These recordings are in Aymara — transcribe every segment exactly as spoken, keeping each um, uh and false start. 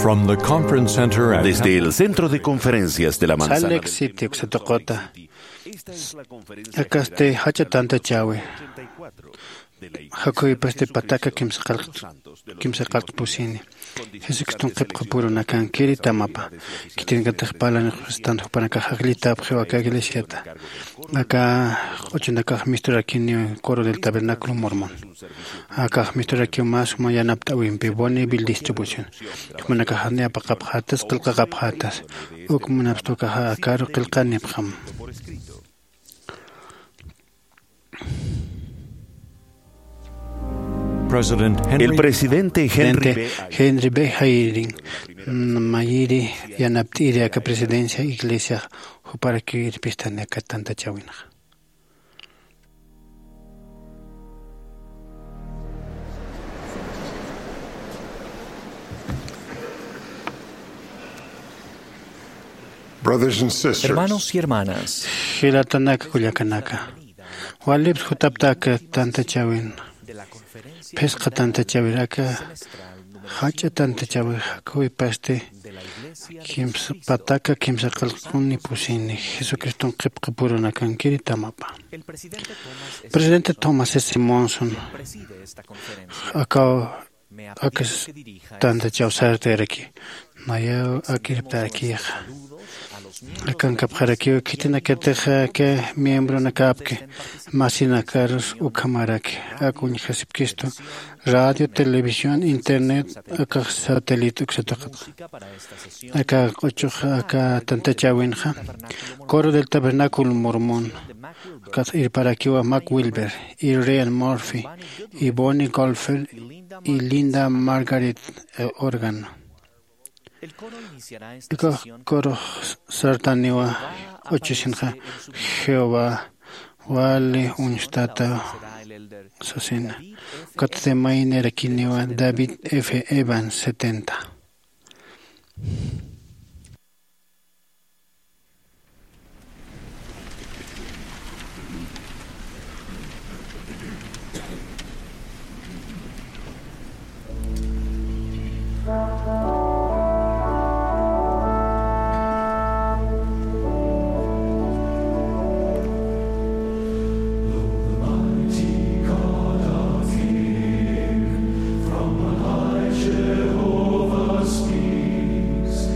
From the conference center at Desde el centro de conferencias de la Manzana Salt Lake City, uksa tuquta. Akasti jach'a tantachäwi. Jakhuwipasti pataka kimsa qallq, kimsa qallq pusini. Jesucriston qhipqapurunakankiri tamapa. Khitinakatix parlanix, jupanakax ajllitapxiw aka iglesiata. Aka q'uchunakax misturakiniw Coro del Tabernáculo Mormón. Akax misturakiw mä suma yanapt'äwimpi Bonneville Distribución. Jupanakax janiw apaqapxätas, qillqaqapxätas. Uk munapxta ukaxa akaru qillqanipxam. President Henry El presidente Henry Presidente B. Henry B. Eyring, mm, mayiri yanapt'iri aka presidencia iglesia juparakiw irpistani aka tantachäwinxa. Brothers and sisters, Hermanos y hermanas, jilatanaka, kullakanaka, walips jutapta aka tantachäwin. Phisqa tantachäwir aka jach'a tantachäwir jakhuwipasti kimsa, pataka kimsa qillqani pusini Jesucriston qhipqapurunakankiri tamapa. Presidente Thomas S. Monson akaw akas tantachäw sartayaraki. Nayaw akiriptarakixa. Akankapxarakiw khitinakatix aka miembronakapki, masinakarus ukhamaraki. Aka uñjasipkistu radio, televisión, internet, akax satélite uksa tuqitxa. Aka q'uchux aka tantachäwinxa Coro del Tabernáculo Mormón, ukat irparakiwa Mac Wilber, y Ryan Murphy, y Bonnie Golfer, y Linda Margaret, eh, Organ. Ukax corux sartaniwa q'uchusinxa Jehová wali uñstata sasina. Ukat maynirakiniwa David F. Evans setenta. From on high Jehovah speaks,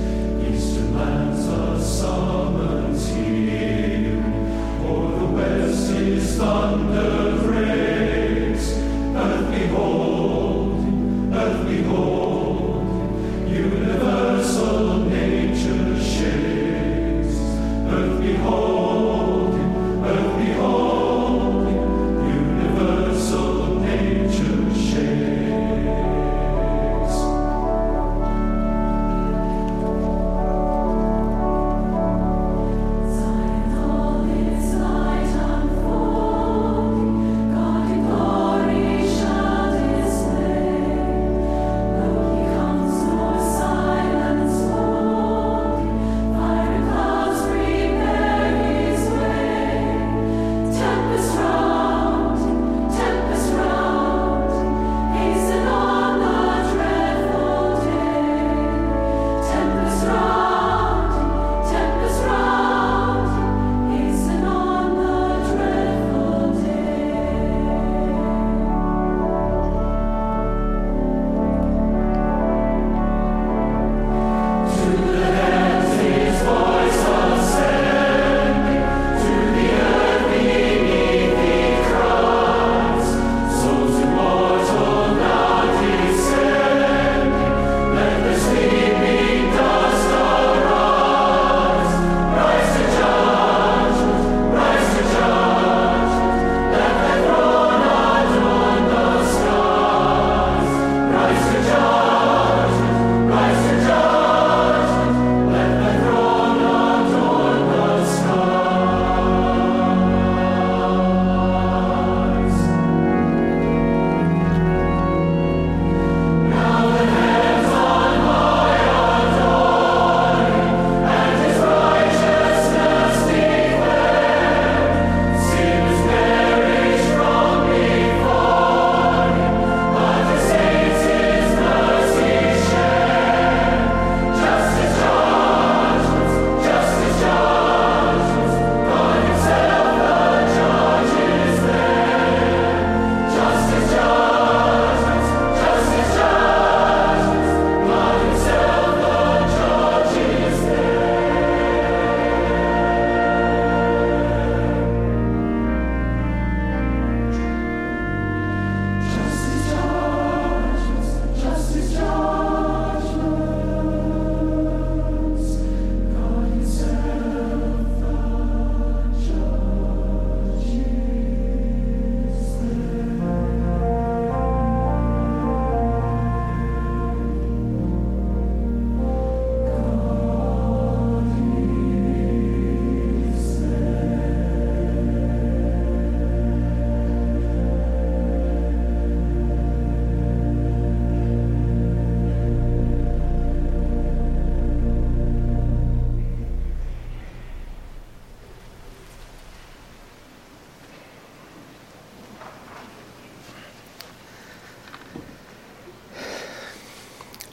eastern lands a summons here, o'er the west his thunder breaks. Earth, behold, earth, behold, universal nature shakes. Earth, behold, earth, behold, universal nature shakes.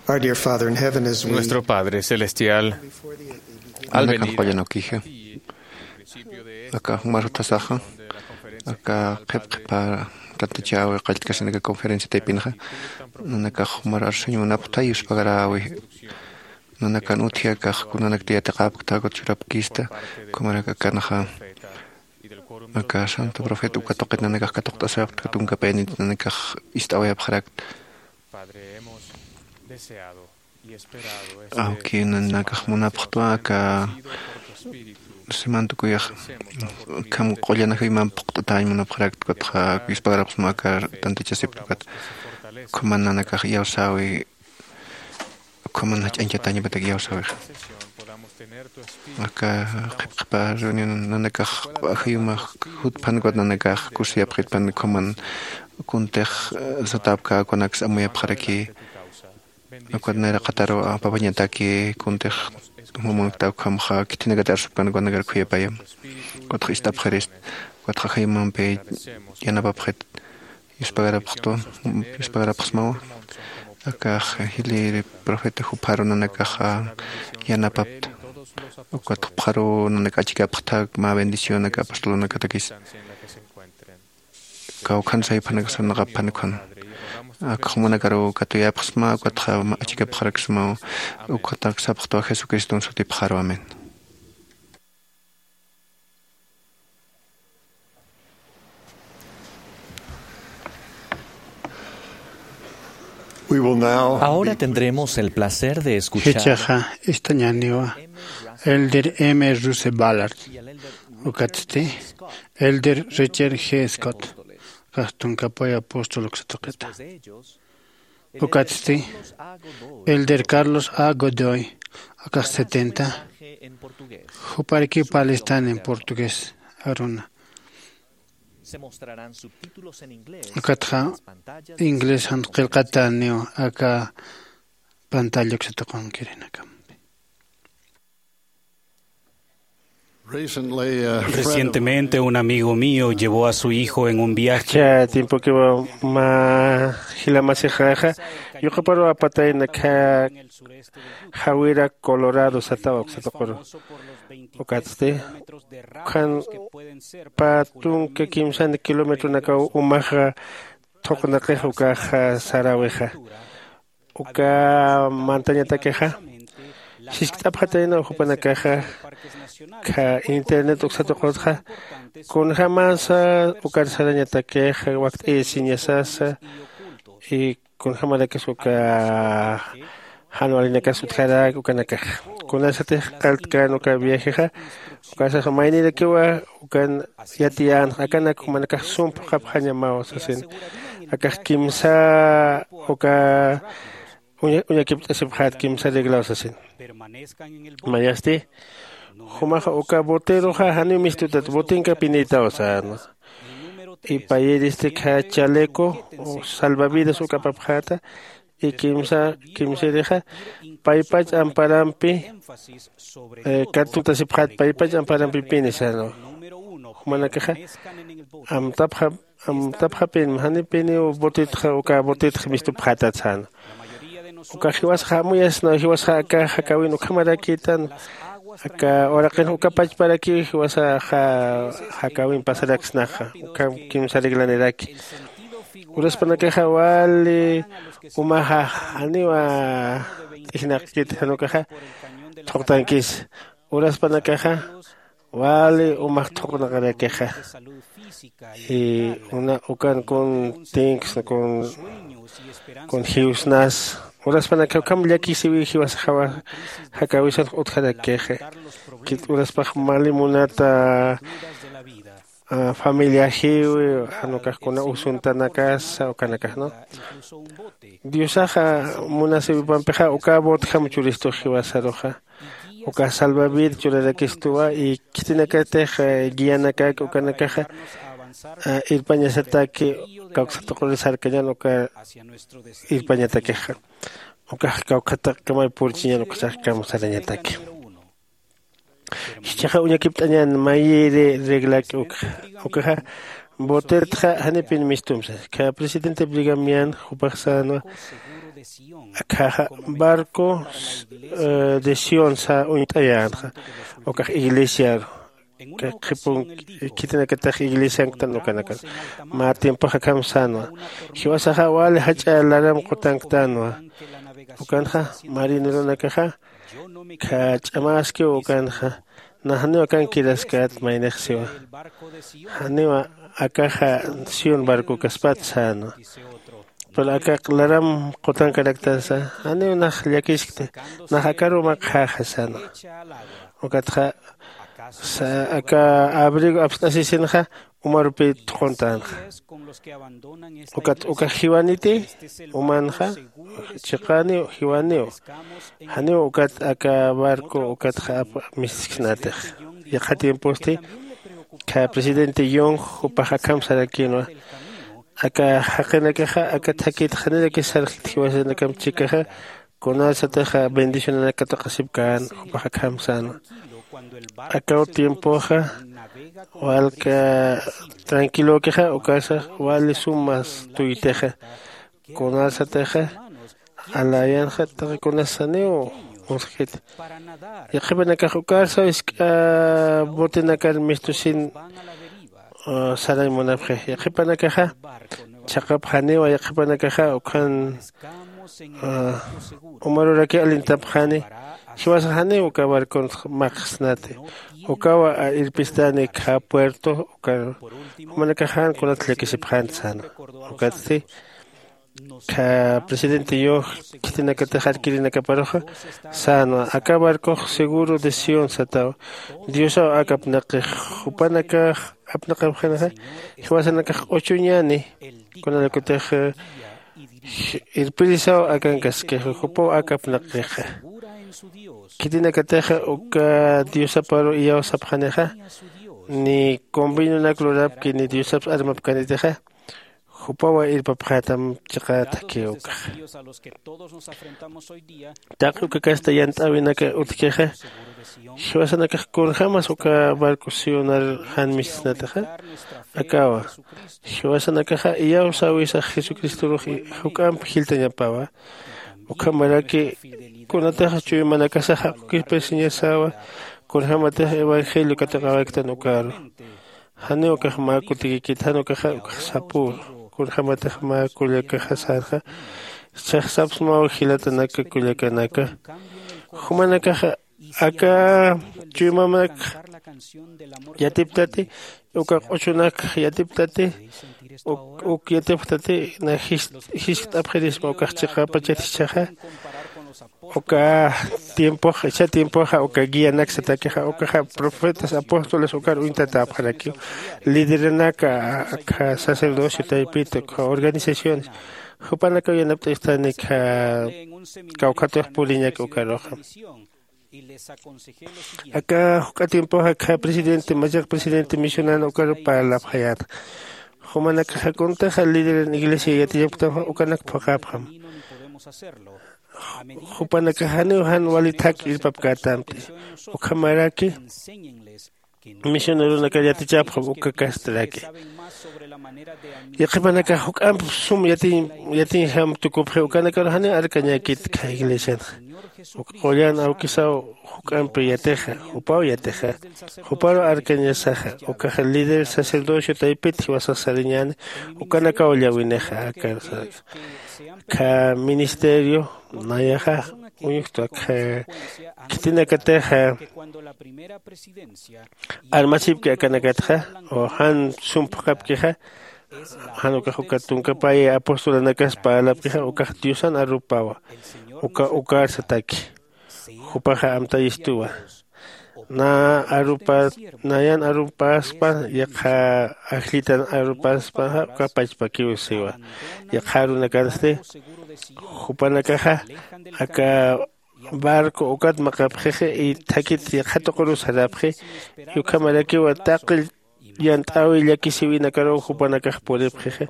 Our dear Father in heaven, as we Nuestro Padre Celestial, al Nanakan venir qullan a ukija. Principio de este Aka jumar jutasaxa, aka qhip qhipa tantachäwi qalltkasinaka conferencia taypinxa, nanakax jumar arsuñ munapxta yuspagarawi. Nanakan utji akax kunanakta yatiqapkta, ukat churapkista, kumarak akanxa aka santo profeta uka tuqit nanakax katuqt'asapkta, tunka payanit nanakax ist'awayapxarakta. Awki nanakax munapxtwa aka simantukuyax, kham q'ullan ajayumamp phuqt'atañ munapxarakta, ukatxa yuspagarapxsma aka tantachasipta, ukat khuman nanakax iyawsäwi, khuman jach'añchatañapatak iyawsäwixa. Aka qhip qhipa reunión nanakax ajayumax jutphan, ukat nanakax kusiyapxitpan, khuman kuntix, eh, satäpkäkunaks amuyapxaraki. Ukat nayraqataru apapañataki, kuntix jumamanktawkhamxa khitinakat arsupkan, ukat nakar khuyapayam. Ukatxa ist'apxirist, ukatxa ajayumampi yanapapxit. Yuspagarapxtu, yuspagarapxsmawa. Akax jilïr profeta jupharu nanakaxa yanapapta. Ukat jupharu nanak achikapxta mä bendición aka apostolunakatakis. Kawkhan sayphanakasarnaqapxan ukan. Ak jumanakaru katuyapxsma, ukatxa achikapxaraksmaw, ukatak sapxtwa Jesucriston sutipxaru. Amén. We will now Ahora be tendremos el placer de escuchar Jichhaxa ist'añäniwa Elder M. Russell Ballard, ukatsti Elder Richard G. Scott, kax tunka pay apóstol uksa tuqita. Ukatsti Elder Carlos A. Godoy, akax setenta, juparakiw palistan en portugués aruna. Ukatxa inglés jan qillqatäniw aka pantalla uksa tuqinkirinakam. Recently, uh, Recientemente, un amigo mío llevó a su hijo en un viaje. Cha tiempokiwa mä jilamasixaxa yuqaparu apatayna kha Jawira, Colorado satawa uksa tuquru. Ukatsti, ukhan pä tunka kimsan kilometronakaw umaxa thuqnaqix ukaxa saräwixa. Uka mantañatakixa siskt'apxatayna jupanakaxa kha internet uksa tuqutxa, kunjämasa ukar sarañatakixa wakt'ayasiñasasa, y kunjämarakis uka jan walinakas utjarak ukanakaxa. Kunasatix qalltkän uka viajexa, ukasasa maynirakiwa ukan yatiyänxa, akanak jumanakax sum phuqhapxañamaw sasin. Akax kimsa uka uña-, uñakipt'asipxät kimsa reglaw sasin. Mayasti, jumaxa uka boteruxa janiw mistutat, botenka pinïtaw sänwa. Y payïristi kha chaleco salvavidas uka apapxäta, y kimsa, kimsïrixa paypach amparampi, eh, katutasipxät paypach amparampi pini sänwa. Jumanakaxa amtapxa, amtapxapin, janipiniw botetxa, uka botetxa mistupxätat sänwa. Uka jiwasaxa amuyasna, jiwasaxa aka jakäwin ukhamarakïtan, aka uraqin uka pachparakiw jiwasaxa jakäwin pasaraksnaxa, ukham kimsa reglaniraki. Uraspanakaxa wali umaxa janiwa t'ijnaqkit, jan ukaxa thuqtankis. Uraspanakaxa wali umax thuqnaqarakixa. Y una ukan kun tinks, kun, kun jiwsnas. Uraspanakax ukham llakisiwi jiwasaxawa jakäwisanx utjarakixa. Kit uraspax mali munata, ah, familiajiwi, jan ukax kuna usuntanakasa, ukanakax, ¿no? Diosaxa munasiwipampixa uka botjam churistux jiwasaruxa. Uka salvavida churarakistuwa, y khitinakatix, eh, guianakak ukanakaxa, eh, irpañasataki, kawksa tuquri sarkañän uka irpañatakixa. Ukax kawkhataqkamay purchiñän ukasax kamsarañataki. Jichhaxa uñakipt'añän mayïri reglak ukxa. Ukaxa botetxa janipin mistumsa. Kha presidente Brigham Young jupax sänwa, Akhaxa barco de sionsa uñt'ayänxa ukax iglesiaru. Qhipun khitinakatax iglesianktan ukanakan mä tiempox akham sänwa. Jiwasaxa wali jach'a laram qutanktanwa. Ukanxa marineronakaxa khach'amäskiw ukanxa. Nax janiw akankiraskat maynix siwa. Janiwa akaxa sion barcokaspat sänwa. Pero aka laram qutankaraktansa janiw nax llakiskti. Nax akaruw makxäxa sänwa. Ukatxa aka abrigo apst'asisinxa umarupï thuquntänxa. Ukat ukax jiwaniti umanxa chiqäniw jiwaniw. Janiw ukat aka barco ukatxa ap misisksnatix. Yaqha tiemposti kha presidente yong jupax akham sarakïnwa. Aka jaqinakaxa aka thakit janirakis sarxit jiwasanakamp chikaxa kunasatixa bendicionanak katuqasipkän jupax akham sänwa. Akaw tiempoxa walka tranquilökixa ukasa wali sumas tuytixa. Kunasatixa alayanxa taqi kunas saniw uskit. Yaqhipanakax ukarsaw isk'a botenakar mistusin sarañ munapxi. Yaqhipanakaxa chhaqapxaniwa yaqhipanakaxa ukhan umaruraki alintapxani. Jiwasax janiw uka barcon maqsnati. Ukawa irpistani kha puerto ukaru. Jumanakax jan kunat llakisipxänti sänwa. Ukatsti kha presidente yoj khitinakatix arkirinakaparuxa sänwa aka barcox seguro de sion sataw. Diosaw aka apnaqix jupanakax apnaqapxanixa jiwasanakax q'uchuñani. Kunanakutix irpirisaw akankaskix jupaw aka apnaqixa. Khitinakatixa uka diosaparu iyawsapxanixa ni convenionak lurapki ni diosaps armapkanitixa. Jupawa irpapxätam chiqa thakï ukaxa. Taqi uka kasta yant'äwinaka utjkixa jiwasanakax kunjämas uka barco sionar jan misisnatixa. Akawa jiwasanakaxa iyawsäwisax jesucristorux juk'amp jilltañapawa. Ukhamaraki kunatixa chuymanakasax jaqukispa siñasäwa. Kunjämatix evangelio katuqäwayktän ukaru. Janiw ukax mä kutikikit jan ukaxa ukax sapüru. Kunjämatix mä kullakaxa sänxa jichhax sapsmaw jilatanaka kullakanaka. Jumanakaxa aka chuymamanakxa yatiptati uka q'uchunakxa yatiptati uk yatipxtati na jiskt'apxirisma ukax chiqapachat jichhaxa. Uka tiempoxa ichha tiempoxa uka guianaksatakixa ukaxa profetas apóstoles ukar uñtatäpxarakiw. Lideranaka akha sacerdocio taypita ukha organizaciones jupanakaw yanapt'ayustani kha kawkhatux puriñak ukaruxa. Aka juk'a tiempoxa kha presidente machaq presidente misionana ukaru parlapxayäta. Jumanakaxa kuntixa lideran iglesia yatiñapktanxa ukanak phuqhapxam. Jupanakax janiw jan wali thak irpapkätamti. Ukhamaraki misioneronakar yatichapxam uka kastaraki. Yaqhipanakax juk'amp sum yatiñ yatiñjam tukupxi ukanakaru janiw arkañäkit kha iglesianxa. Uka qullan awkisaw juk'ampi yatixa jupaw yatixa. Juparu arkañasaxa ukaxa líder sacerdocio taypit jiwasax sariñäni. Ukanakaw llawinixa akar saraxa. Kha ministerio nayaxa uñuxtu akha khitinakatixa armasipki akanakatxa o jan sumpxapkixa. Jan ukax uka tunkapay apostolanakas parlapkixa ukax diosan arupawa. Uka ukarsataki jupaxa amtayistuwa. Na arupa nayan arupaspa yaqha ajllitan arupaspaxa uka pachpakiw siwa. Yaqha arunakansti jupanakaxa aka barco ukat maqapxixi y thakit yaqha tuquru sarapxi. Y ukhamarakiwa taqi yant'äwi llakisïwinakaruw jupanakax puripxixi.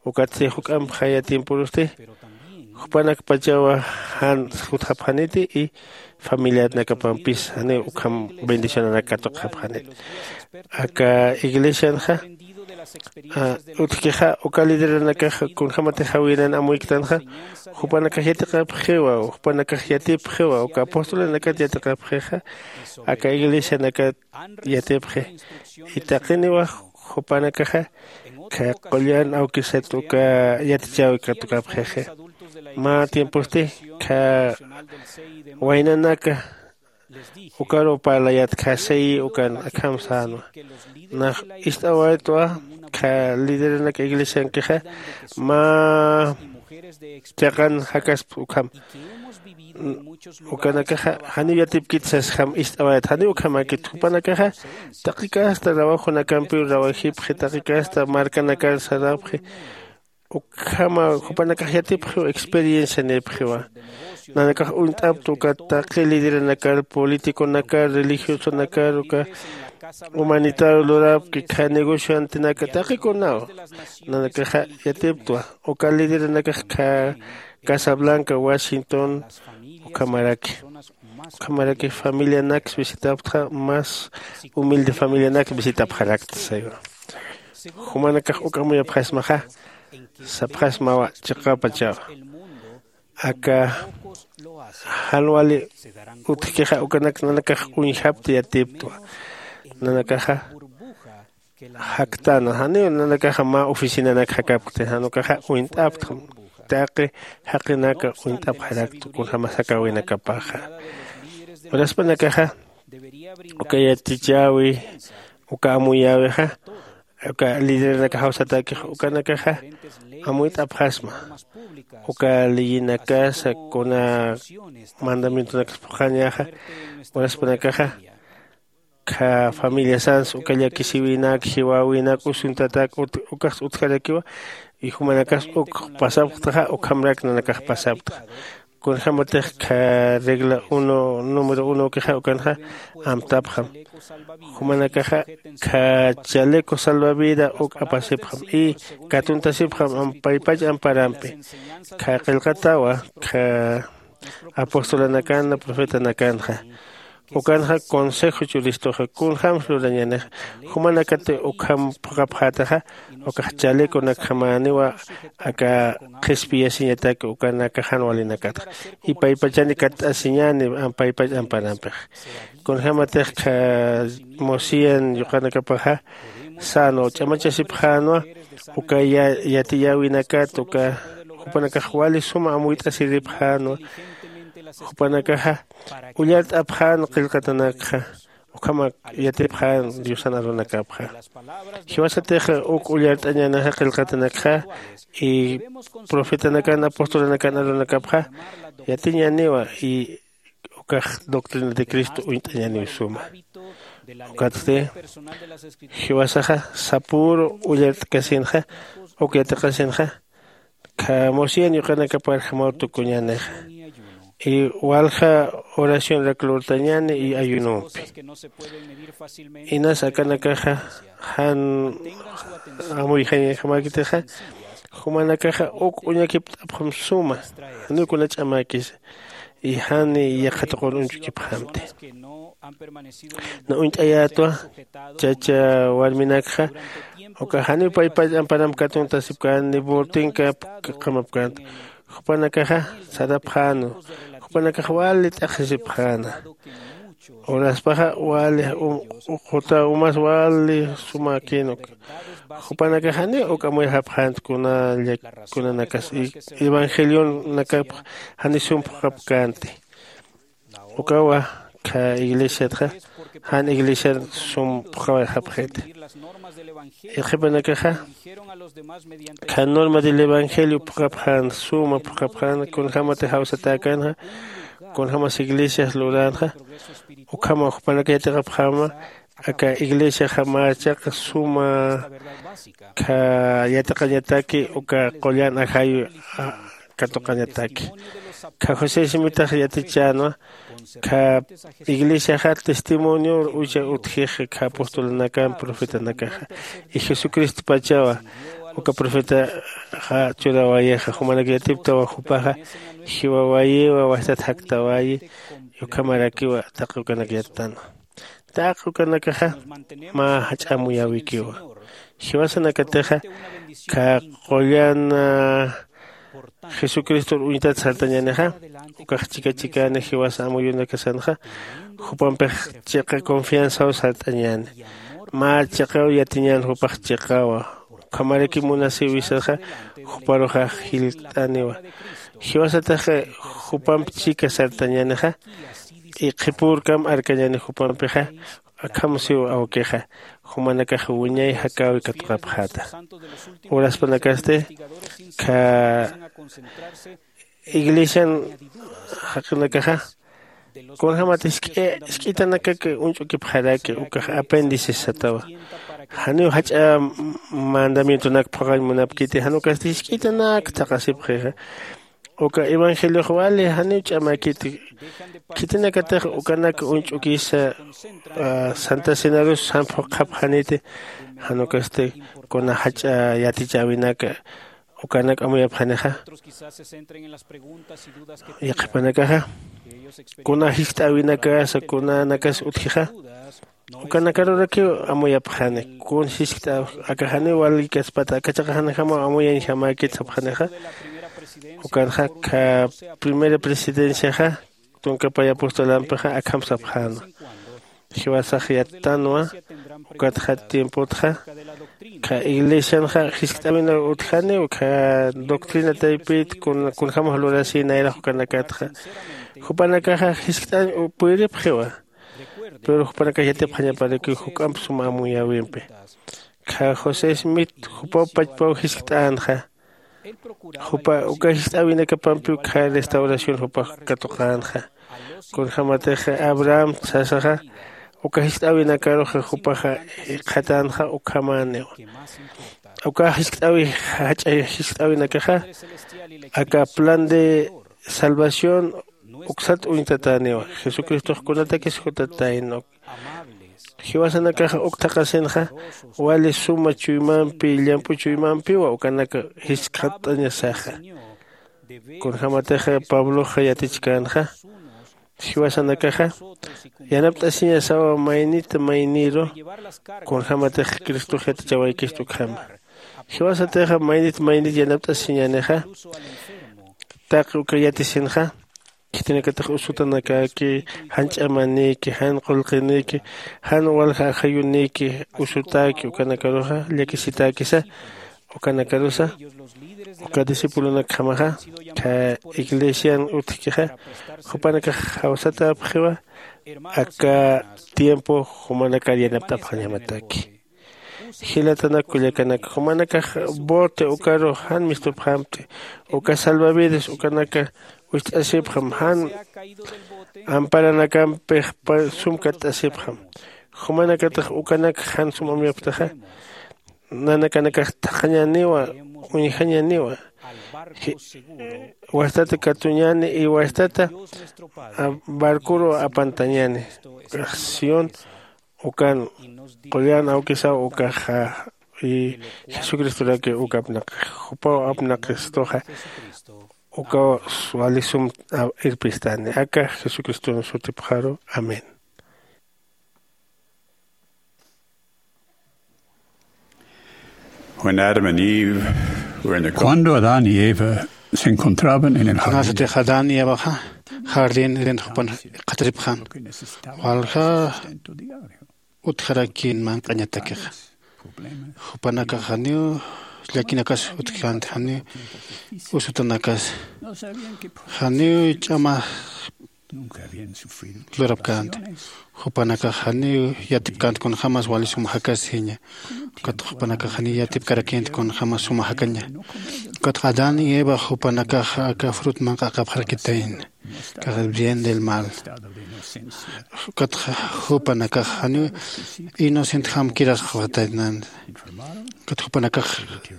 Ukatsti juk'amp jaya tiemporusti jupanakpachawa jan jutxapxaniti y familianakapampis janiw ukham bendicionanak katuqxapxaniti. Aka iglesianxa Utjkixa uka lideranakaxa kunjämatix jawinan amuyktanxa, jupanakax yatiqapxiwa, jupanakax yatipxiwa uka apostolanakat yatiqapxixa, aka iglesianakat yatipxi. Y taqiniwax jupanakaxa qullan awkisat uka yatichäwi katukapxixi. Mä tiemposti kha waynanaka ukaruw parlayatkxasiyi ukan akham sänwa. Nax ist'awaytwa kha lideranaka iglesiankixa mä chiqan jakasp ukham. Ukanakaxa janiw yatipkit sasjam ist'awayat janiw ukhamäkit jupanakaxa taqi casta rawajunakampiw rawajipxi taqi casta markanakar sarapxi. Ukhama jupanakax yatipxiw experiencianïpxiwa. Nanakax uñt'apta uka taqi lideranakar políticonakar religiosanakar uka humanitario lurapki kha negocioantinaka taqikunaw. Nanakaxa yatiptwa uka lideranakax kha casa blanca washington ukhamaraki ukhamaraki familianaks visitapxta mas humilde familianaks visitapxarakta saywa. Jumanakax uk amuyapxasmaxa sapxasmawa chiqapachawa. Aka jan wali utjkixa ukanak nanakax uñjapta yatiptwa. Nanakaxa jaktäna janiw nanakaxa mä oficinanak jakapkti jan ukaxa uñt'aptxam. Taqi jaqinaka uñt'apxarakta kunjämas jakäwinakapaxa. Uraspanakaxa uka yatichäwi uka amuyäwixa uka lideranakax jawsatäkix ukanakaxa amuyt'apxasma. Uka leyinakasa kuna mandamientonakas phuqhañaxa uraspanakaxa kha familiasans uka llakisïwinak jiwäwinak usuntatak ukax utjarakiwa. Y jumanakas uk pasapxtaxa ukhamrak nanakax pasapxta. Kunjämatix kha regla uno número unokixa ukanxa amtapxam. Jumanakaxa kha chaleco salvavida uk apasipxam y katuntasipxam paypach amparampi. Kha qillqatawa kha apostolanakanna profetanakanxa ukanxa consejo churistuxa kunjämsa lurañänixa. Jumanakati ukham phuqhapxätaxa ukax chaleconakjamäniwa aka qhispiyasiñataki ukanakax jan walinakatxa. Y paypachani katt'asiñäni paypach amparampixa. Kunjämatix kha mosían yuqanakapaxa sänwa ch'amachasipxänwa uka yatiyäwinakat uka jupanakax wali suma amuyt'asiripxänwa. Jupanakaxa ullart'apxän qillqatanakxa ukhama yatipxän diosan arunakapxa. Jiwasatix uk ullart'añänixa qillqatanakxa y profetanakan apostolanakan arunakapxa yatiñäniwa y ukax doctrina de cristo uñt'añäniw suma. Ukatsti jiwasaxa sapüru ullart'kasinxa uk yatiqasinxa kha mosían yuqanakapar jamaw tukuñänixa. Y walja oracionrak lurtañäni y ayunompi. Inas akanakaxa jan amuyjañjamäkitixa jumanakaxa uk uñakipt'apxam suma janiw kuna ch'amäkisa. Y jani yaqha tuqun uñch'ukipxamti. Na uñt'ayätwa chacha warminakxa uka janiw paypach amparamp katuntasipkän ni bortinkap qamapkänti. Jupanakaxa sarapxänwa. Jupanakax wali t'aqhisipxäna. Uraspaxa wali quta umas wali sumäkïnwa. Jupanakax janiw uk amuyxapxänti kuna kunanakas evangelionakapx jani sum phuqhapkänti. Ukawa kha iglesiatxa jan iglesiar sum phuqhawayxapxiti. Qhipanakaxa kha norma del evangelio phuqhapxän suma phuqhapxän kunjämatix jawsatäkänxa kunjämas iglesias luränxa. Ukhama jupanak yatiqapxäma aka iglesiaxa mä chiqa suma kha yatiqañataki uka qullan ajayu katuqañataki. Kha josé simitax yatichänwa kha iglesiaxa testimonio ucha utjix kha apostolanakan profetanakaxa. Y jesucristopachawa uka profetaxa churawayixa jumanak yatiptawa jupaxa jiwawayiwa wastat jaktawayi. Ukhamarakiwa taqi ukanak yattanwa. Taqi ukanakaxa mä jach'a amuyäwikiwa. Jiwasanakatixa kha qullan jesucristor uñtat sartañänixa. Ukax chika chikani jiwasa amuyunakasanxa jupampix chiqa confianzaw sart'añäni. Mä chiqaw yatiñän jupax chiqawa. Ukhamaraki munasiwisaxa juparuxa jillt'aniwa. Jiwasatix jupamp chika sartañänixa. Qhipürkam arkañäni jupampixa. Akham siw awkixa jumanakax wiñay jakäwi katuqapxäta. Uraspanakasti kha iglesian jaqinakaxa kunjämat jisk'itanakak uñch'ukipxaraki ukax apéndices satawa. Janiw jach'a mandamientonak phuqañ munapkiti jan ukasti jisk'itanak thaqasipxixa. Uka evangeliox wali janiw ch'amäkiti. Khitinakatix ukanak uñch'ukisa santa cenarus jan phuqhapxaniti. Jan ukasti kuna jach'a yatichäwinaka ukanak amuyapxanixa. Yaqhipanakaxa kuna jiskt'äwinakasa kunanakas utjixa. Ukanakarurakiw amuyapxani kun jiskt'äw aka janiw walïkaspata aka chiqaxanjamaw amuyañjamäkit sapxanixa. Ukanxa kha primera presidenciaxa tunkapay apostolampixa akham sapxäna. Jiwasax yattanwa. Ukatxa tiempotxa kha iglesianxa jiskt'äwinaw utjaniw kha doctrina taypit kunjämax lurasï nayrax ukanakatxa. Jupanakaxa jiskt'añ puyiripxiwa. Pero jupanakax yatipxañaparakiw juk'amp sum amuyäwimpi. Kha josé smith jupaw pachpaw jiskt'änxa. Jupa uka jiskt'äwinakapampiw kha restauración jupax katuqänxa. Kunjämatix abraham sasaxa uka jiskt'äwinakaruxa jupaxa jikxatänxa ukhamäniw. Uka jiskt'äwi jach'a jiskt'äwinakaxa aka plan de salvación uksat uñtatäniwa. Jesucristox kunatakis jutatayna. Jiwasanakaxa uk thaqhasinxa wali suma chuymampi llamp'u chuymampiwa ukanaka jiskxat'añasaxa. Kunjämatixa pabloxa yatichkänxa jiwasanakaxa yanapt'asiñasawa maynit mayniru. Kunjämatix cristox yatichawaykistu ukhama. Jiwasatixa maynit maynit yanapt'asiñänixa. Taqi uka yatisinxa khitinakatix usutanakäki jan ch'amanïki jan qullqinïki jan walja ajayunïki usutäki ukanakaruxa llakisitäkisa. Ukanakarusa uka discipulonakjamaxa kha iglesian utjkixa jupanakax jawsatäpxiwa. Aka tiempo jumanakar yanapt'apxañamataki. Jilatanak kullakanak jumanakax bote ukaru jan mistupxampt'i. Uka salvavidas ukanaka wist'asipxam jan amparanakampix sum katt'asipxam. Jumanakatix ukanak jan sum amuyapxtaxa nanakanakax thaqhañäniwa uñjañäniwa. Wastata katuñäni y wastata barcoru apantañäni. Sión ukan qullan awkisaw ukaxa y jesucristoraki uka apnaqix jupaw apnaqistuxa. Ukaw wali sum irpistani aka jesucriston sutipxaru. Amén. When Adam and Eve were in the Cuando Adán y Eva se encontraban en el jardín, kunasatix adán y evaxa jardín eden jupan qhataripxan walja utjarakïn manq'añatakixa. Jupanakax janiw llakinakas utjkänti janiw usutanakas janiw ch'ama lurapkänti. Jupanakax janiw yatipkänti kunjämas wali sum jakasiña. Ukatxa jupanakax janiw yatipkarakïnti kunjämas suma jakaña. Ukatxa adán y eva jupanakax aka frut manq'aqapxarakitayna. Kaxa bien del mal. Ukatxa jupanakax janiw inocent jamkirasxapxataynan. Ukat jupanakax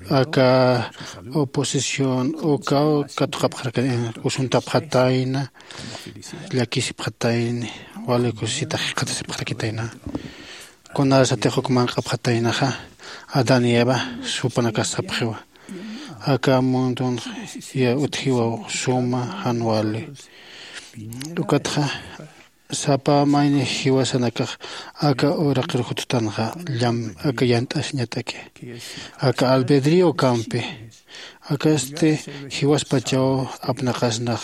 aka oposición ukaw katuqapxarakitayna usuntapxatayna. Llakisipxatayni wali kusisitax jikxatasipxarakitayna. Kunasatix uk manq'apxataynaxa adán y eva supanakas sapxiwa aka mundon utjiwaw suma jan wali. Ukatxa Sapa mayni jiwasanakax aka uraqir juttanxa llam aka yant'asiñataki, aka albedrío kampi. Akasti jiwaspachaw apnaqasnax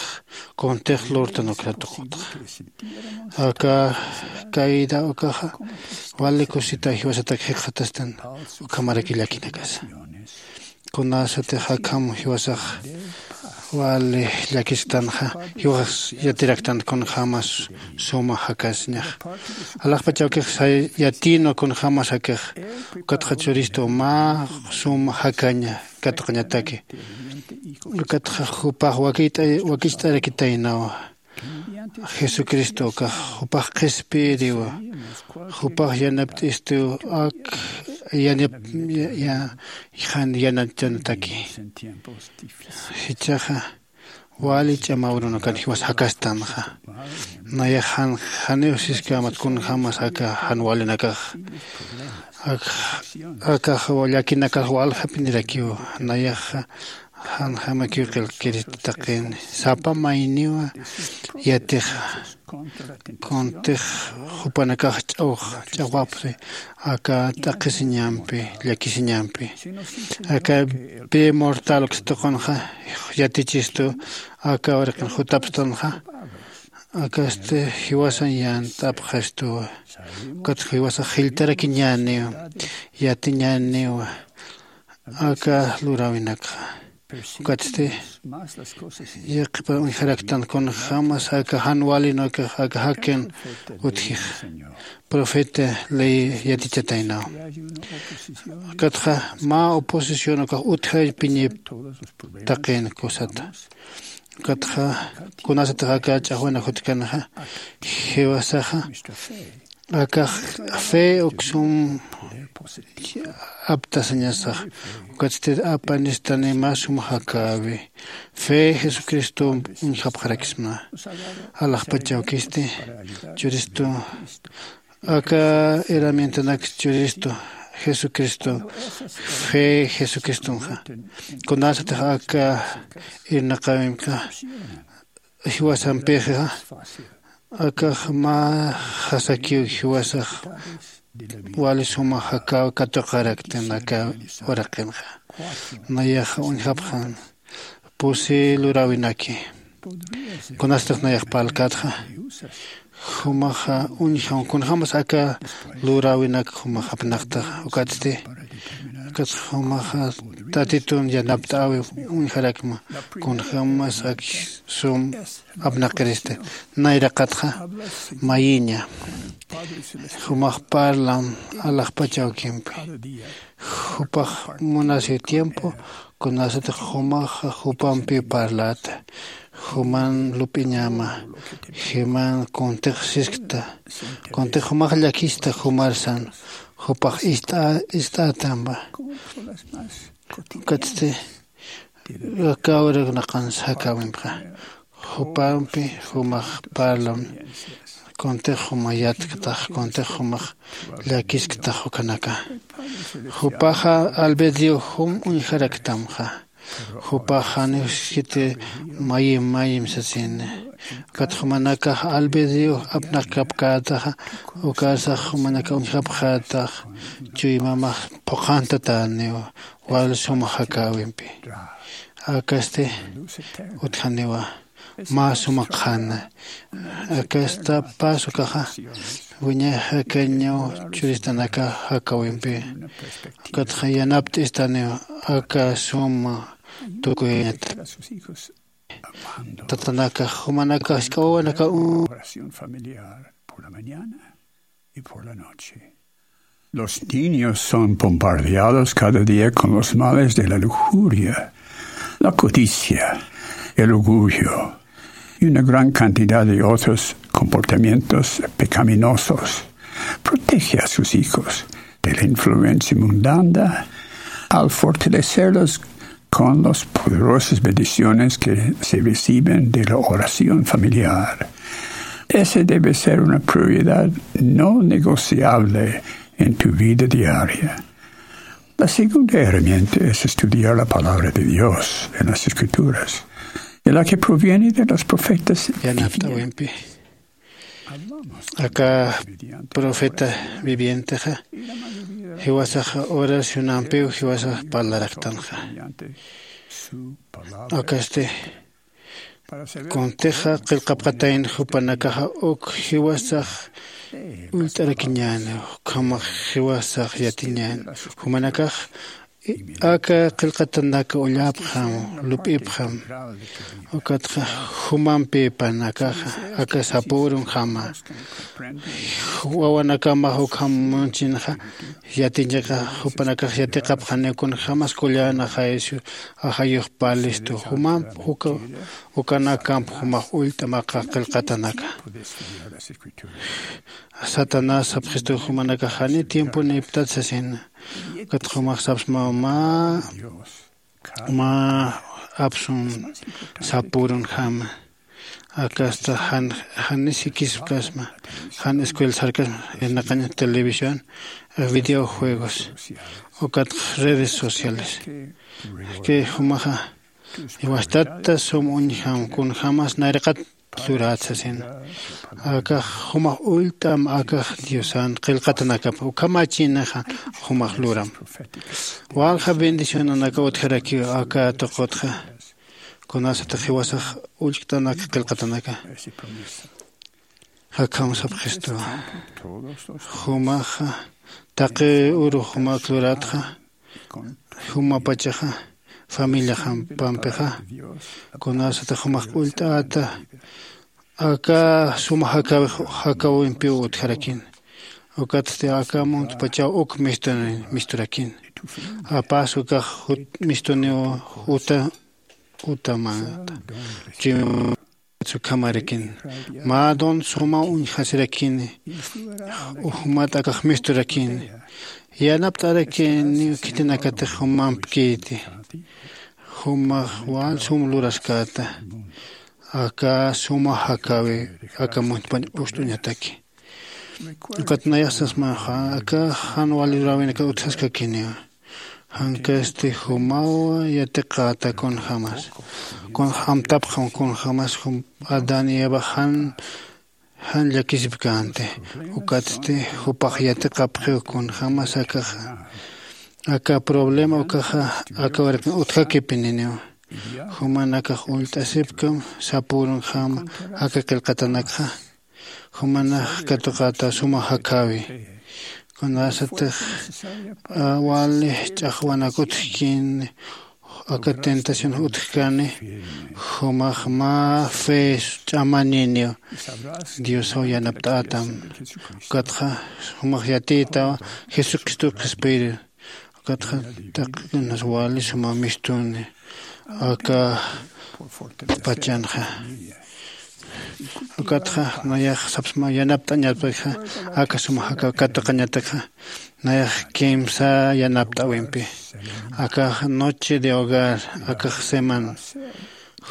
kuntix lurtan ukratuqutxa. Aka kayda ukaxa wali kusita jiwasatak jikxatastan ukhamaraki llakinakasa. Kunasatix akham jiwasax wali llakisktanxa, jiwasax yatiraktan kunjämas suma jakasiñax. Alaxpachawkix yatïnwa kunjämas jakix. Ukatxa churistu mä suma jakaña katuqañataki. Ukatxa jupax wakicht'arakitaynawa. Jesucristo ukax jupax qhispiyiriwa. Jupax yanapt'istiw ak yanap jan yanachanataki. Jichhaxa wali ch'amaw urunakan jiwas jakastanxa. Nayax jan janiw siskämat kunjämas aka jan walinakax. Akax llakinakax waljapinirakiw. Nayaxa janjamakiw qillqkiriti taqin sapa mayniwa yatixa. Kuntix jupanakax ch'awx ch'awapxi aka t'aqhisiñampi llakisiñampi. Aka pï mortal uksa tuqunxa yatichistu aka uraqin jutapstanxa. Akasti jiwasan yant'apxastuwa. Ukat jiwasax jilltarakiñäniwa yatiñäniwa aka luräwinakxa. Ukatsti yaqhipan uñjaraktan kunjämas aka jan walin ukax aka jakin utjix. Profeta ley yatichataynaw. Ukatxa mä oposición ukax utjapiñip taqin kusata. Ukatxa kunasatix aka ch'axwana jutkanxa jiwasaxa akax fe uksum aptasañasax. Ukatsti apanistani mä sum jakäwi fe jesucristo uñjapxaraksma. Alaxpachawkisti churistu aka herramientanak churistu jesucristo fe jesucristonxa. Kunasatix aka irnaqäwimka jiwasampixa akax mä jasakiw jiwasax wali suma jakäw katuqaraktan aka uraqinxa. Nayaxa uñjapxan pusi luräwinaki. Kunastix nayax parlkatxa jumaxa uñjam kunjämas aka luräwinak jumax apnaqtaxa ukatsti. Ukatxa jumaxa tatitun yanapt'äwi uñjarakma kunjämas ak sum apnaqirista. Nayraqatxa mayiña jumax parlam alaxpach awkimpi. Jupax munasiw tiempo kunasatix jumaxa jupampiw parlata. Juman lup'iñama juman kuntix siskta. Kuntix jumax llakista jumarsan jupax ist'ätamba. Ukatsti aka uraqinaqans jakäwimpxa jupampi jumax parlam. Kuntix juma yatktax kuntix jumax llakisktax ukanaka. Jupaxa albedrio jum uñjaraktamxa. Jupax janiw siskiti mayim mayim sasini. Ukat jumanakax albedrio apnaqkapkätaxa ukarsax jumanaka uñjapxätax chuymamax phuqhantatäniw wal suma jakäwimpi. Akasti utjaniwa mä suma qhana. Akasta pasukaxa wiñay jakañaw churistanaka jakäwimpi. Ukatxa yanapt'istaniw aka suma tukuyañata. Tatanaka jumanaka jisk'a wawanaka un Los niños son bombardeados cada día con los males de la lujuria, la codicia, el orgullo y una gran cantidad de otros comportamientos pecaminosos. Protege a sus hijos de la influencia mundana al fortalecerlos con las poderosas bendiciones que se reciben de la oración familiar. Ese debe ser una prioridad no negociable en tu vida diaria. La segunda herramienta es estudiar la palabra de Dios en las Escrituras, de la que proviene de los profetas. Yanapt'äwimpi Aka profeta vivientexa jiwasax oracionampiw jiwasax parlaraktanxa. Akasti kuntixa qillqapxatayn jupanakaxa uk jiwasax ullt'arakiñäni, ukhamax jiwasax yatiñäni. Jumanakax aka qillqatanaka ullapxam, lup'ipxam. Ukatxa jumampipanakaxa aka sapürunjama wawanakamax ukham munchinxa yatiñaqa, jupanakax yatiqapxaniw kunjämas kullanaxaysu ajayux parlistu jumamp uka ukanakamp jumax ullt'amaqa qillqatanaka. Satanás sapxistu jumanakax jani tiemponïptat sasina. Ukat jumax sapsmaw mä mä apsun sapürunjama. Akasta jan jan sikisipkasma, jan escuela sarkasma, irnaqañ televisión, videojuegos, ukat redes sociales. Ki jumaxa jiwastata sum uñjam kunjämas nayraqat lurat sasina. Akax jumax ullt'am akax diosan qillqatanakap ukhamachinaxa jumax luram. Walja bendicionanaka utjarakiw aka tuqutxa kunasatix jiwasax ullt'anak qillqatanaka. Jakham sapxistuwa. Jumaxa taqi urux jumak luratxa jumapachaxa familiaxampampixa kunasatix jumax ullt'ata aka suma jakawix jakawimpiw utjarakin. Ukatsti aka muntpachaw uk mistuni misturakin. Apas ukax jut mistuniw juta jutamata chim sukhamarakin. Mä don suma uñjasirakini. Jumat akax misturakini. Yanapt'arakiniw khitinakatix jumampkiti. Jumax wal sum luraskäta aka suma jakäwi aka muntpañ ust'uñataki. Ukat nayax sasmaxa aka jan wali luräwinaka utjaskakiniwa. Jankasti jumaw yatiqäta kunjämas kunjämtapxam kunjämas jum adán y eva jan jan llakisipkänti. Ukatsti jupax yatiqapxiw kunjämas akaxa aka problema ukaxa aka wirakin utjakipininiwa. Jumanakax ullt'asipkam sapürunjama aka qillqatanakxa. Jumanax katuqäta suma jakäwi kunasatix wali ch'axwanak utjkin aka tentación utjkani. Jumax mä fe ch'amaniniw diosaw yanapt'ätam. Ukatxa jumax yatiytawa jesucristo qhispiru. Ukatxa taqikinas wali suma mistuni aka pachanxa. Ukatxa nayax sapsma yanapt'añatpakxa aka suma jaka katuqañatakxa nayax kimsa yanapt'äwimpi. Akax noche de hogar akax semana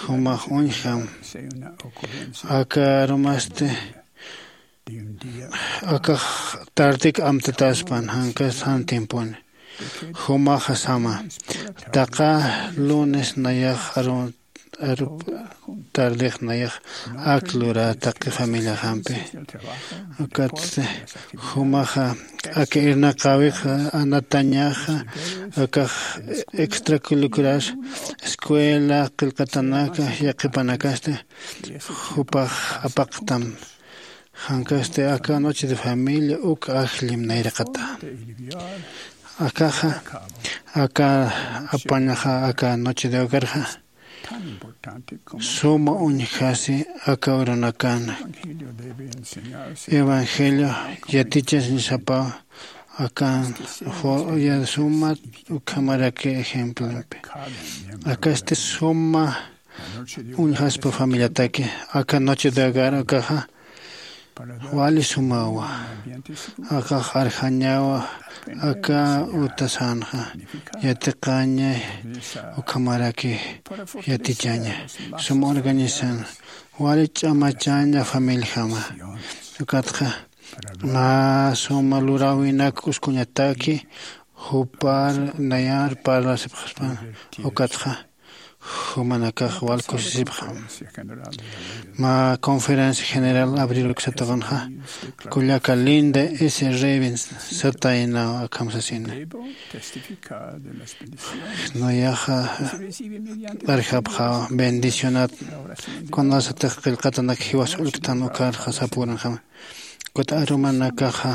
jumax uñjam aka arumasti akax tardik amtataspan jankas jan tiemponi. Jumaxa sama taqa lunes nayax aru aru tardix nayax ak lurä taqi familiaxampi. Ukatsti jumaxa aka irnaqäwix anatañaxa akax extracurricular escuela qillqatanaka yaqhipanakasti jupax apaqtam. Jankasti aka noche de familia uk ajllim nayraqata. Akaxa aka apañaxa aka noche de hogarxa suma uñjasi aka urunakana evangelio yatichasiñasapaw. Akan suma ukhamaraki ejemplempi akasti suma uñjaspa familiataki aka noche de hogar akaxa wali sumawa. Akax arjañawa aka utasanxa yatiqaña ukhamaraki yatichaña suma organizan wali ch'amachaña familijama. Ukatxa mä suma luräwinak uskuñataki jupar nayar parlasipxaspan. Ukatxa Jumanakax wal kusisipxam. Mä conferencia general abriruk satawanxa kullaka Linda S Revens sataynaw akham sasina. Nayaxa arjapxaw bendicionat kunasatix qillqatanak jiwas ullktan ukarxa sapurunxam. Ukat arumanakaxa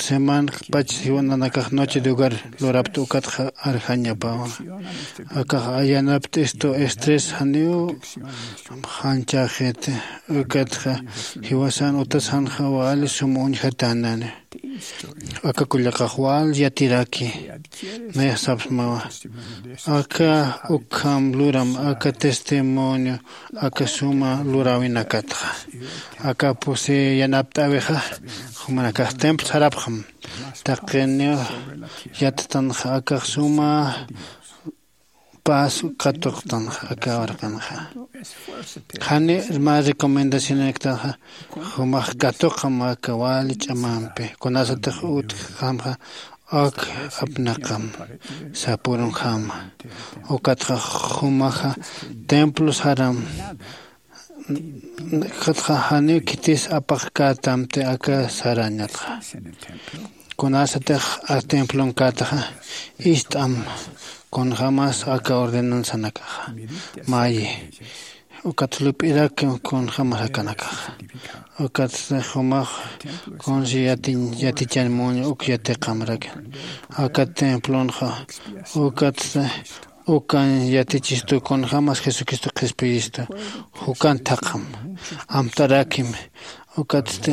semanpach jiwananakax noche de hogar lurapta ukatxa arjañapawa. Akax ayanapt'istu estrés janiw janchaxit. Ukatxa jiwasan utasanxa wali sum uñjatanani. Aka kullakax wal yatiraki. Nayax sapsmawa aka ukham luram aka testimonio aka suma luräwinakatxa. Aka pusi yanapt'äwixa jumanakax templo sarapxam. Taqiniw yattanxa akax suma paz katuqtanxa aka urqanxa. Jani mä recomendacionaktanxa jumax katuqam aka wali ch'amampi kunasatix utjxamxa ak apnaqam sapurunjama. Ukatxa jumaxa templo saram. Ukatxa janiw khitis apaqkätamti aka sarañatxa. Kunasatix a templonkätaxa ist'am kunjämas aka ordenanzanakaxa mayi. Ukat lup'irak kunjämas akanakaxa. Ukat jumax kunsi yatichan muña uk yatiqamrak aka templonxa. Ukat ukan yatichistu kunjämas jesucristo qhispiyistu. Jukan thaqham amtarakim. Ukatsti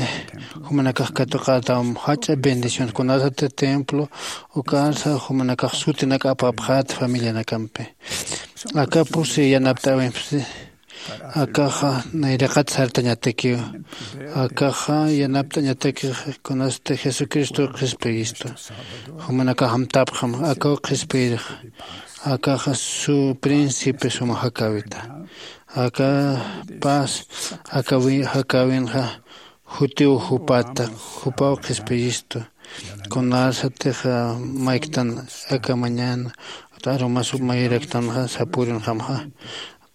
jumanakax katuqätam jach'a bendición kunasati templo ukarsa jumanakax sutinak apapxät familianakampi. Aka pusi yanapt'äwimpsi akaxa nayraqat sartañatakiw. Akaxa yanapt'añatakix kunasti jesucristo qhispiyistu. Jumanakax amtapxam akaw qhispiyirxa. Akaxa su príncipe suma jakäwita. Aka paz aka jakäwinxa jutiw jupata. Jupaw qhispiyistu. Kunasatix mayktan aka mañana arumas mayiraktanxa sapurunxamxa.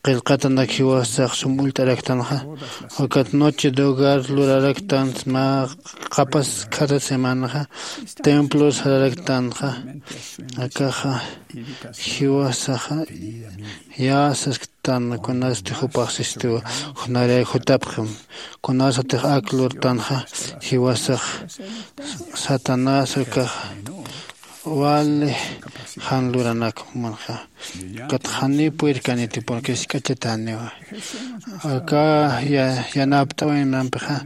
Qillqatanak jiwasax sum ullt'araktanxa. Ukat noche de hogar luraraktan mä qapas cada semanaxa templo sararaktanxa. Akaxa jiwasaxa yäsasktan kunasti jupaxsistiwa. Junaray jutapxam kunasatix ak lurtanxa jiwasax satanás akax wali jan luranak jumanxa. Ukat janiw purirkaniti porque jisk'achataniwa. Aka yanapt'äwinampixa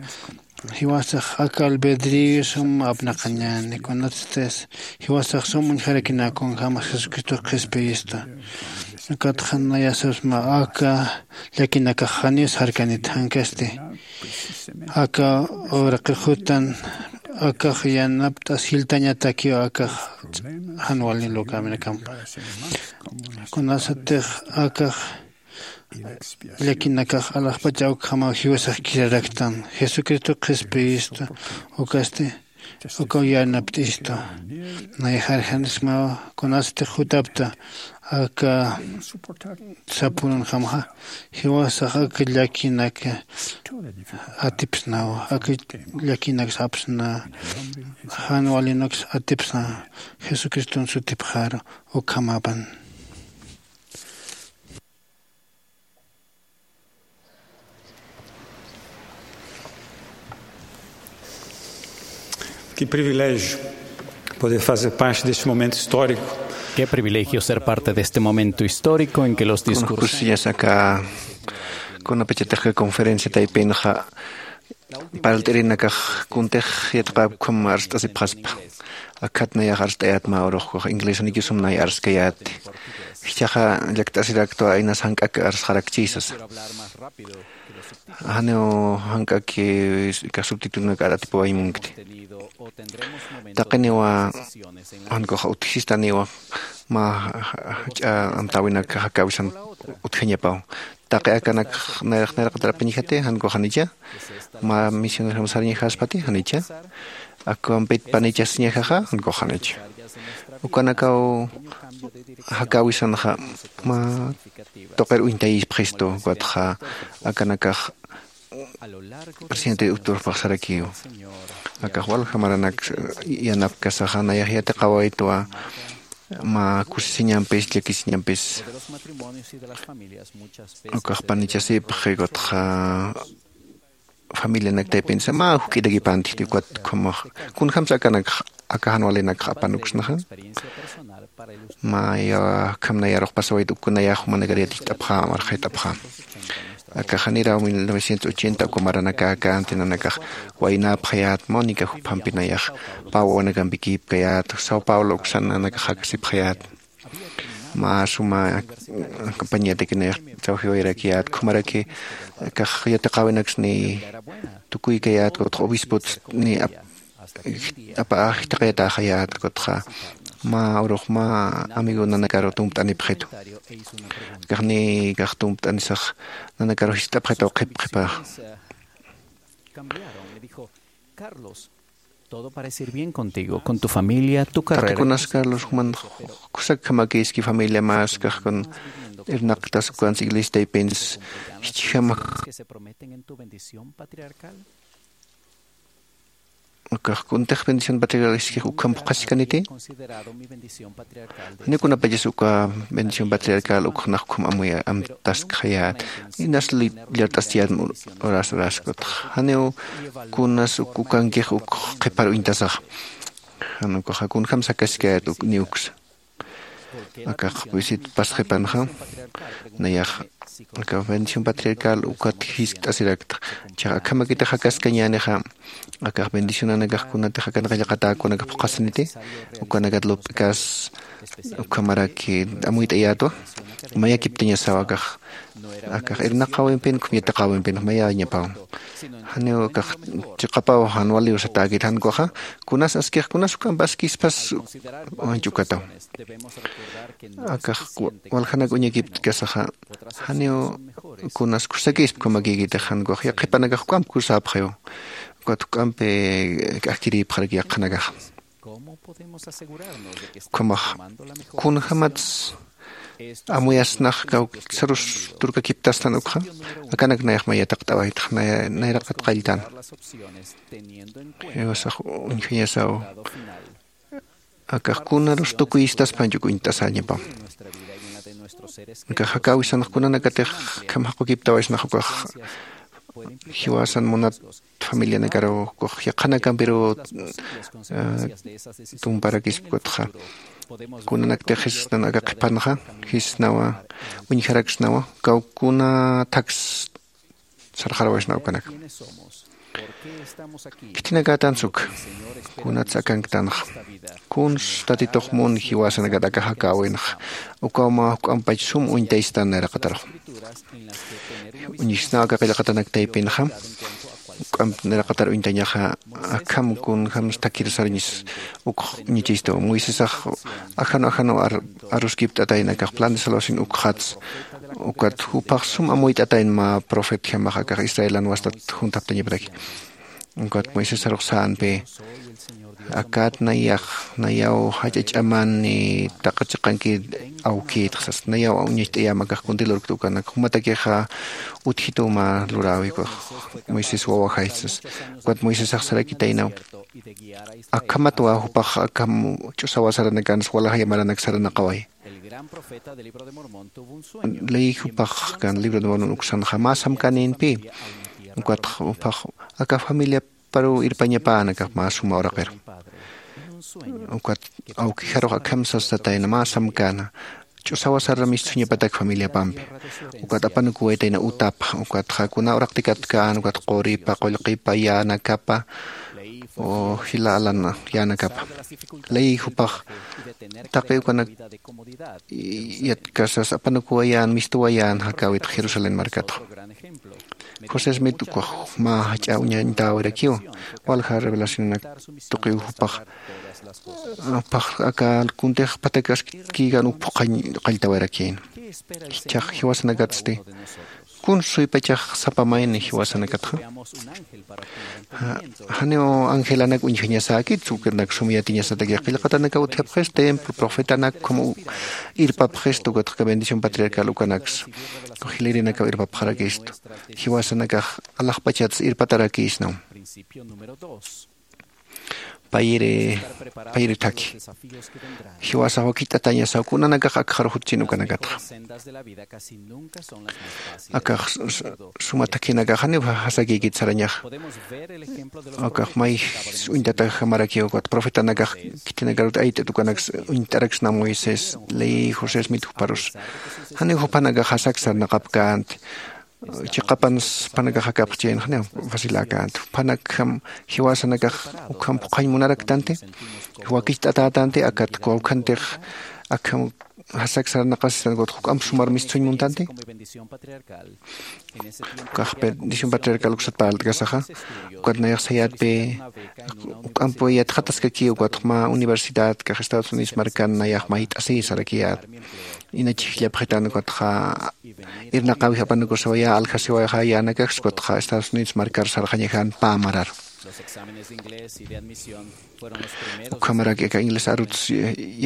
jiwasax aka albedrío sum apnaqañäni kunatsti jiwasax sum uñjarakina kunjämas jesucristo qhispiyistu. Ukatxa nayasasma aka llakinakax janiw sarkanit jankasti. Aka uraqi jutan akax yanapt'as jiltañatakiw akax jan wali lukäwinakampa. Kunasatix akax llakinakax alaxpach awkjamaw jiwasax kiraraktan jesucristo qhispiyistu. Ukasti ukaw yanapt'istu. Nayax arjanismaw kunasatix jutapta aka sapurunjamxa jiwasax aka llakinak atipsnaw aka llakinak sapsna. Jan walinaks atipsna jesucriston sutipxaru ukhamapan. Qué privilegio poder fazer parte deste momento histórico. Qué privilegio ser parte de este momento histórico en que los discursos. Kunakusiñas aka kunapachatix conferencia taypinxa parlt'irinakax kuntix yatiqäpkham arst'asipxaspa. Akhat nayax arst'ayät mä uruxkax inglesanikiw sum nay arskayäti. Jichhaxa llakt'asiraktwa inas jank'ak arsxarakchi sasa. Janiw jank'ak aka subtitulunaka aratipawañ munkti. Taqiniwa jankuxa utjistaniwa mä jach'a amtäwinak jakäwisan utjañapaw. Taqi akanak nayraqatarapinchati jankuxanicha mä misionerjam sarañajaspati janicha. Akwampit panichasiñajaxa jankuxanicha. Ukanakaw jakäwisanxa mä tuqir uñtayipxistu, ukatxa akanakax presidente Héctorpax sarakiw. Akax walja maranak yanapkasaxa nayax yatiqawaytwa mä kusisiñampis llakisiñampis. Ukax panichasipxi, ukatxa familianak taypinsa mä juk'irakipantixti, ukat ukhamax kunjämsa akanakxa aka jan walinakxa apanuksnaxa. Mä ya ukham nayarux pasawayta, uk nayax jumanakar yaticht'apxä, marxayt'apxä. Akax janiraw mil novecientos ochenta uka maranakäkä nantinanakax waynäpxayät, Mónica juphampi nayax pä wawanakampi kïpkayät, Sao Paulo uksan nanakax jakasipxayät. Mä suma campañataki nayax trawjiwayarakiyät, ukhamaraki akax yatiqäwinaksni tukuykayät, ukatxa obispot ni ap-, apa jitaqayataxayät, ukatxa mä urux mä amigo nanakaru tumpt'anipxitu. Akaxni akax tumpt'anisax nanakaru jist'apxitaw qhip qhipa. Todo parece ir bien contigo, con tu familia, tu carrera. Taqi kunas, Carlos, juman kusakjamakïski, familia, mä askax kun irnaqtas, ukansa iglesia taypinsa jichjama. Que se prometen en tu bendición patriarcal. Akax kuntix bendición patriarcal iskix ukham phuqhasikaniti. Janiw kunapachas uka bendición patriarcal ukxnax ukham amuya amtaskxayät. Inas li-, llart'astiyät horas, horas, ukatxa janiw kunas uk-, ukankix uk qhipar uñtasaxa. Jan ukaxa kunjämsa jakaskayät uk, ni uksa. Akax visit pasqipanxa nayax aka bendición patriarcal ukat jiskt'asirakta. Jichhax akhamakitix jakaskañänixa, akax bendicionanakax kunatix akan qillqatäkunakax phuqhasiniti, ukanakat lup'ikas ukhamaraki amuyt'ayätwa. Mayakiptiñasaw akax, akax irnaqäwimpin, ukham yatiqäwimpin, mayañapaw. Janiw akax chiqapaw jan waliw satäkit, jan ukaxa kunas askix, kunas ukamp askispas, wañch ukataw. Akax wa-, waljanak uñakiptkasaxa, janiw kunas kusakisp ukhamakïkitix, jan ukax yaqhipanakax juk'amp kusäpxiw. Ukat juk'ampi k'ajkirïpxaraki yaqhanakaxa. Ukhamax, kunjämats amuyasnax kawksarus turkakiptastan ukxa, akanak nayax may yatiqt'awayta, nay-, nayraqat qalltan. Jiwasax uñjañasaw. Akax kunarus tukuyistaspañ uk uñt'asäñapaw. Akax jakäwisanx kunanakatix akham jaqukiptawaysnax ukax jiwasan munat familianakaru ukax yaqhanakampiru, eh, tumparakispa ukatxa. Kunanaktix jisnan aka qhipanxa, jisnawa, uñjaraksnawa, kawkuna thaks sarxarawaysna ukanak. Khitinakätan suk, kunats akanktanxa. Kuns Tatitux mun jiwasanakat aka jakäwinxa. Ukaw mä juk'ampach sum uñtaystan nayraqatarux. Uñjisnaw aka qillqatanak taypinxa. Juk'amp nayraqatar uñtañaxa, akham kunjämsa thakhir sarañis ukx uñachistu. Moisesax ajanu ajanu ar-, aruskipt'atayna akax plan de salvación ukxats. Ukat jupax sum amuyt'atayna mä profetjamax akax Israelan wastat juntaptañapataki. Ukat Moisés sarux sänpi, akat nayax, nayaw jach'a ch'amani taqi chiqankir awkïtxa sas, nayaw uñacht'ayäma akax kunti lurkta ukanak, jumatakixa utjituw mä luräwi ukax Moisés wawajay sas. Ukat Moisésax sarakitaynaw, akhamatwa jupax akham ch'usawa saranakansa walja maranak saranaqaway. Ley jupax kan Libro de Mormon uksanxa mä samkänïnpï. Ukatxa jupax aka familiaparuw irpañapäna, aka mä suma uraqiru. Ukat awkijarux akham sastatayna mä samkäna. Ch'usawa sara mistsuñapatak familiapampi. Ukat apanukuwaytayna utapa, ukatxa kuna uraqtikatkän, ukat quripa, qullqipa, yänakapa, o jila alan yänakapa. Ley jupax taqi ukanak yatkasas apanukuwayän, mistuwayän jakäwit Jerusalén markatxa. José Smith ukax mä jach'a uñañtawirakiw, walja revelacionanak tuqiw jupax, jupax aka kuntix phatak askïkan uk phuqhañ qalltawirakïn. Jichhax jiwasanakatsti, kuns suypachax sapa mayni jiwasanakatxa. Janiw angelanak uñjañasäkit, ukanak sum yatiñasatakix qillqatanakaw utjapxis, templo, profetanak ukham irpapxista, ukatxa bendición patriarcal ukanaksa jilarinakaw irpapxarakistu. Jiwasanakax alaxpachats irpatarakïsnaw. Payri payri thaki jiwasax wakicht'atañasaw kunanakax akxaru jutchin ukanakatxa. Akax suma thakhinakax janiw jasakïkit sarañaxa. Akax may uñt'atajamarakiw ukat profetanakax khitinakarut ayt'it ukanaks uñt'araksna moisés ley josés mit juparus. Janiw jupanakax jasak sarnaqapkänti. Chiqapansa jupanakax jakapxchayn janiw faciläkänti jupanakjam jiwasanakax ukham phuqhañ munaraktanti. Wakicht'atätanti akat kawkhantix akham jasak sarnaqasistan ukat juk'amp sumar mistsuñ muntanti. Ukax bendición patriarcal uksat parlt'kasaxa ukat nayax sayätpi juk'amp yatxataskaki ukatxa mä universidad kax estados unidos markan nayax mayt'asï sarakiyät. Ina chhijllapxitan ukatxa irnaqäwix apanukusiwayä aljasiwayxä yänakax ukatxa estados unidos markar sarxañaxän pä marar. Ukhamarak aka inglés aruts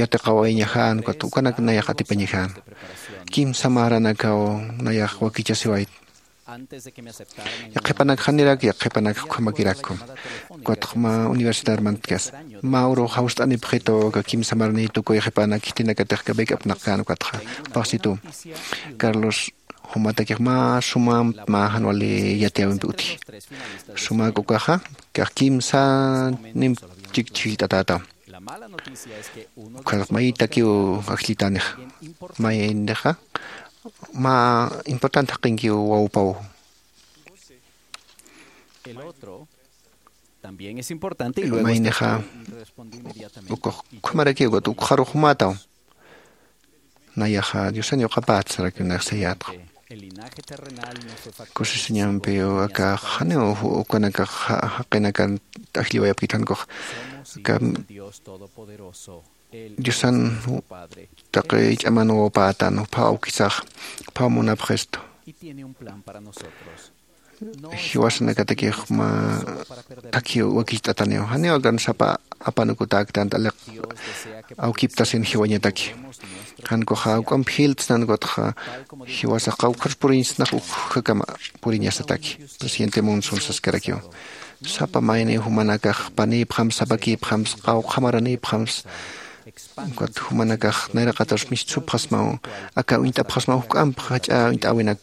yatiqawayañaxän ukat ukanak nayax atipañaxän. Kimsa maranakaw nayax wakichasiwayt. Yaqhipanak janirak yaqhipanak ukhamakirakku. Ukatxa mä universidad mantkas mä urux jawst'anipxitu aka kimsa maraniy tukuy qhipanak khitinakatix kabek'apnaqkän ukatxa. Paxsitu carlos jumatakix mä sumamp mä jan wali yatiyäwimpi utji. Sumak ukaxa kax kimsa nimp chikchhillt'atätaw. Ukxataq maytakiw ajllitänixa maynixa mä importante jaqinkiw wawpaw. Maynixa ukux ukhamarakiw ukat ukxarux jumätaw. Nayaxa diosan yuqapätsarakiw nayax sayätxa. Kusisiñampiw akax janiw ukanakax jaqinakan ajlliwayapkit jankux aka diosan taqi ch'aman wawpätan juphaw awkisax juphaw munapxistu. Jiwasanakatakix mä thakhiw wakicht'ataniw janiw akan sapa apanukutäktanti aliq awkiptasin jiwañataki. Jankuxa juk'amp jiltsnan ukatxa jiwasax qawkhar puriñsnax ukjakama puriñasataki. Presidente munson saskarakiw sapa mayniw jumanakax panïpxams sapakïpxams qawqha maranïpxams ukat jumanakax nayraqatarus mistsupxasmaw aka uñt'apxasmaw juk'amp jach'a uñt'äwinak.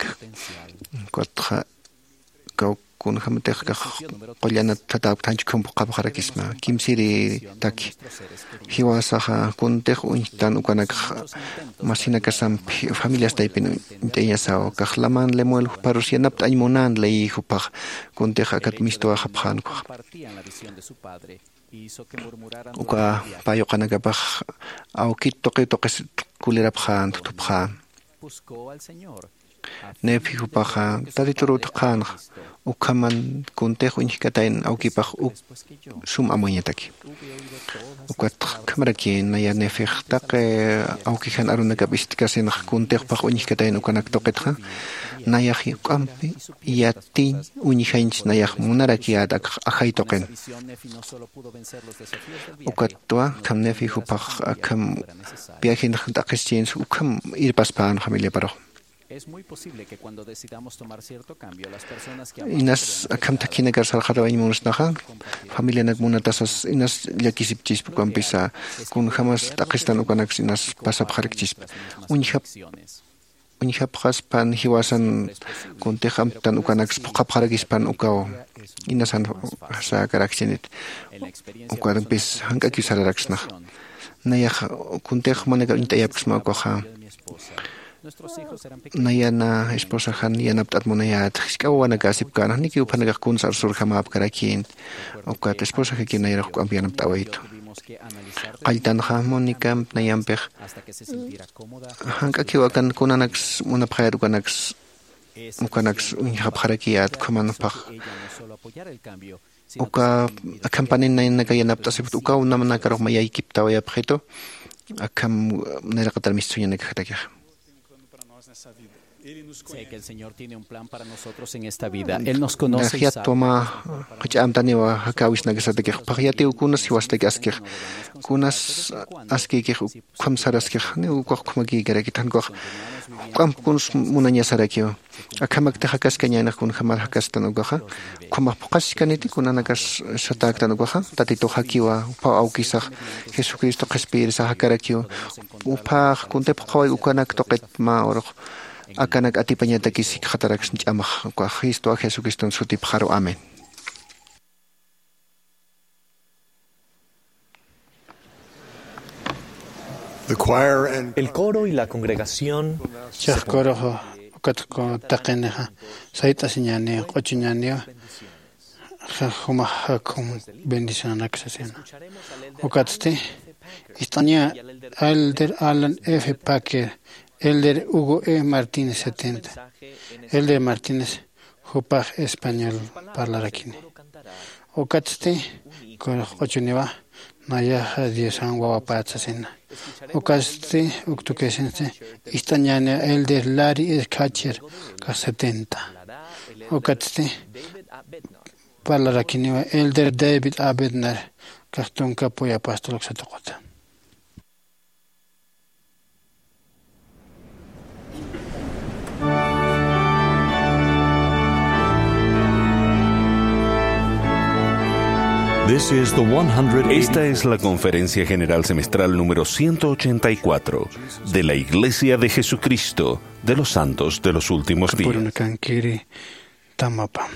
Ukatxa kaw kunjämatix kax qullanat thatäpkta janchkhump qhapxarakisma kimsiri taki. Jiwasaxa kuntix uñjtan ukanakxa masinakasamp familias taypin uñt'ayañasaw kax laman lemuel juparus yanapt'añ munän ley jupax kuntix akat mistwaxapxän ukax. Uka pä yuqanakapax awkit tuqi tuqis kulirapxän thutupxän. Nefi jupaxa tatituruw thaqhänxa ukhaman kuntix uñjkatayn awkipax uk sum amuyañataki. Ukat ukhamaraki naya nefix taqi awkijan arunakap ist'kasinxa kuntix jupax uñjkatayn ukanak tuqitxa nayax juk'ampi yatiñ uñjañch nayax munarakiyät akx ajay tuqin. Ukatwa akham nefi jupax akham viajenx t'aqhischinsa ukham irpaspän familiaparux. Inas akham thakhinakar sarxatawañ munasnaxa familianak munatasas inas llakisipchispa ukampisa kunjämas t'aqhistan ukanaksa inas pasapxarakchispa. Uñjap uñjapxaspan jiwasan kuntix amtan ukanaks phuqhapxarakispan ukaw inasan säkarakchinit. Ukampis jank'akiw sararaksnax nayax kuntix jumanakar uñt'ayapksma ukaxa. Nayana esposaxan yanapt'at munayät jisk'a wawanaka asipkän janikiw juphanakax kuns arsurjamäpkarakïnti. Ukat esposaxakiw nayarux juk'amp yanapt'awaytu. Qalltanxa mónicamp nayampix jank'akiw akan kunanaks munapxayät ukanaks ukanaks uñjapxarakiyät ukhamanpax. Uka akhampanin naynaka yanapt'asipxta ukaw namanakarux mayaykiptawayapxitu. Akham nayraqatar mistsuñanakaxatakixa. Sé que el Señor tiene un plan para nosotros en esta vida. Él nos conoce y sabe. Jayat tuma jach'amtaniwa jakäwisnakasatakix, phaxyatiw kunas jiwasatakix askix, kunas askïkix ukham saraskix, janiw ukax ukhamakïkarakit, jan ukax juk'amp kuns munañasarakiw. Akhamakti jakaskañänix kunjämar jakastan ukaxa, ukhamax phuqhasiskaniti kunanakas satäktan ukaxa, Tatitux jakiwa, juphaw awkisax, Jesucristo qhispiyirisax jakarakiw, juphax kuntip qhaway ukanak tuqit mä urux akanak atipañatakis jikxataraks ch'amax, ukax Cristo Jesucriston sutipxaru. Amén. The choir and El coro y la congregación. Chiq coroxa ukat taqinixa sayt'asiñäni, q'uchuñäniwa, jumax jakhum bendicionanak sasina. Ukatsti ist'aña Elder Alan F. Packer, Elder Hugo E. Martínez setenta. Elder Martínez jupax español parlarakini. Ukatsti corox q'uchuniwa, nayaxa Diosan wawapät sasina. Ukatsti uk tukisinsti ist'añäni Elder Larry S. Kacher, ukax setenta. Ukatsti parlarakiniwa Elder David A. Bednar, ukax tunka apoyo apóstol uksa tuquta. This is the one hundred. Esta es la Conferencia General Semestral número ciento ochenta y cuatro de la Iglesia de Jesucristo de los Santos de los Últimos Días. Purunakankiri tamapa.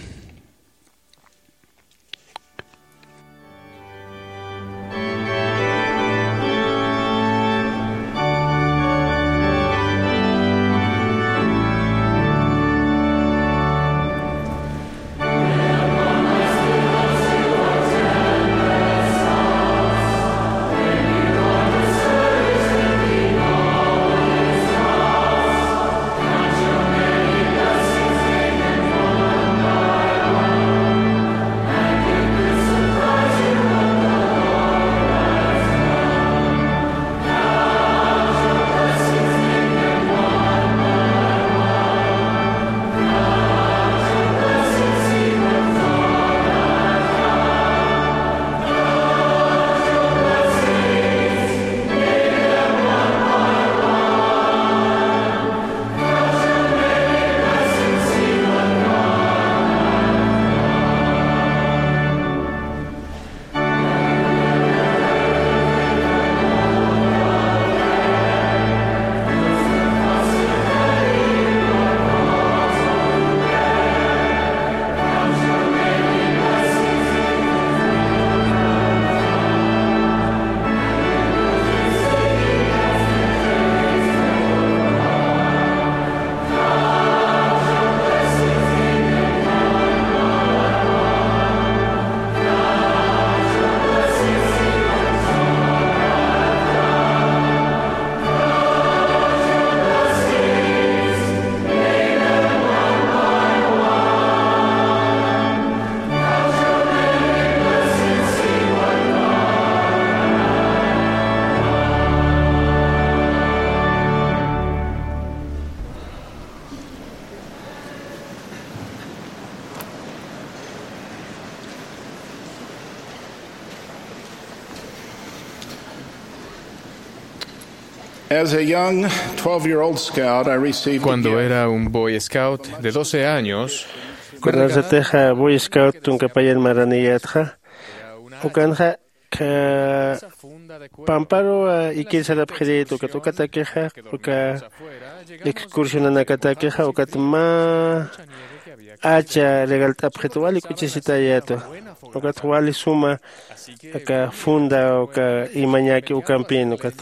As a young twelve-year-old scout, I received a Cuando gift. Era un Boy Scout de doce años, me Kunasatixa Boy Scout tunka payan maraniyätxa, ukanxa, kha, pamparu, a, ikir sarapxirït ukat, ukatakixa, uka excursionanakatakixa, ukat mä acha regalt'apxit, wali k'uchisitayätwa. Ukat wali suma, aka funda, uka imañäki ukampin, ukat.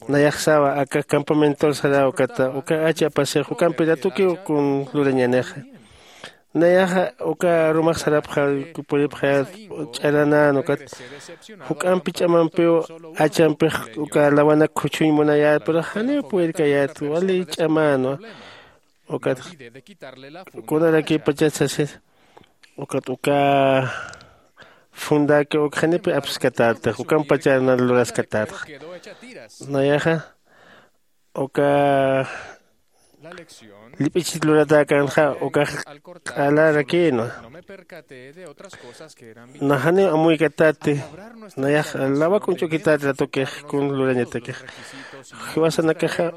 Nayaxsawa, aka campamentor saraw, ukat, uka acha apasix, ukampi ratukiw kun lurañänixa. Nayaxa uka arumax sarapxa, puripxayät ch'aranän, ukat juk'ampi ch'amampiw achampix uka lawanak khuchhuñ munayät, pero janiw purirkayät, wali ch'amänwa. Ukat kunarakiw pachat sasir, ukat uka fundaki uk janipi apskatätix, ukampachar na luraskatätxa. Nayaxa uka Llip'ichit luratäkänxa ukax q'alarakïnwa. Naxaniw amuykatati, nayax lawak uñch'ukitati ratukix kun lurañatakix. Jiwasanakaxa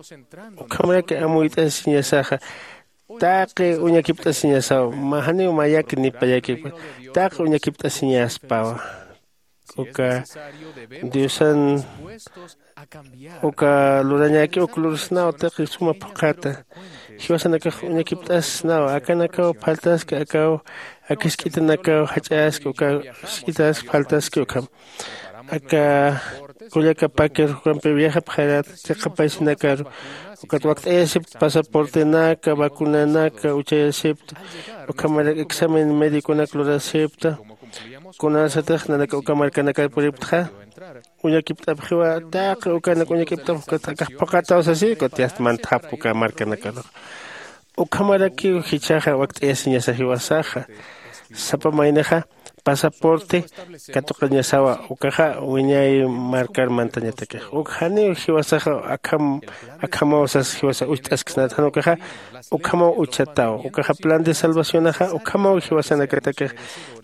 ukhamaraki amuyt'asiñasaxa, taqi uñakipt'asiñasaw, mä janiw mayak ni payakipkwa, taqi uñakipt'asiñaspawa. Uka diosan uka lurañäki uk lursnaw taqi suma phuqhata. Jiwasanakax uñakipt'asnaw, akanakaw phaltaski, akaw ak jisk'itanakaw jach'aski, uka jisk'itas phaltaski ukham. Aka kullaka paker jukampi viajapxarat chiqapaysinakaru, ukat wakt'ayasipta pasaportenaka, vacunanaka uchayasipta, ukhamarak examen médiconak lurasipta. Kunasatix nanaka uka markanakar puripktxa, uñakipt'apxiwa, taqi ukanak uñakipt'apx ukat akax phuqataw sasï, ukat yast mantxapx uka markanakarux. Ukhamarakiw jichhaxa wakt'ayasiñasa jiwasaxa. Sapa maynixa pasaporte katuqañasawa, ukaxa wiñay markar mantañatakix. Uk janiw jiwasaxa akham akhamaw sas jiwasa ucht'asksnat, jan ukaxa ukhamaw uchataw. Ukaxa plan de salvacionaxa ukhamaw jiwasanakatakix.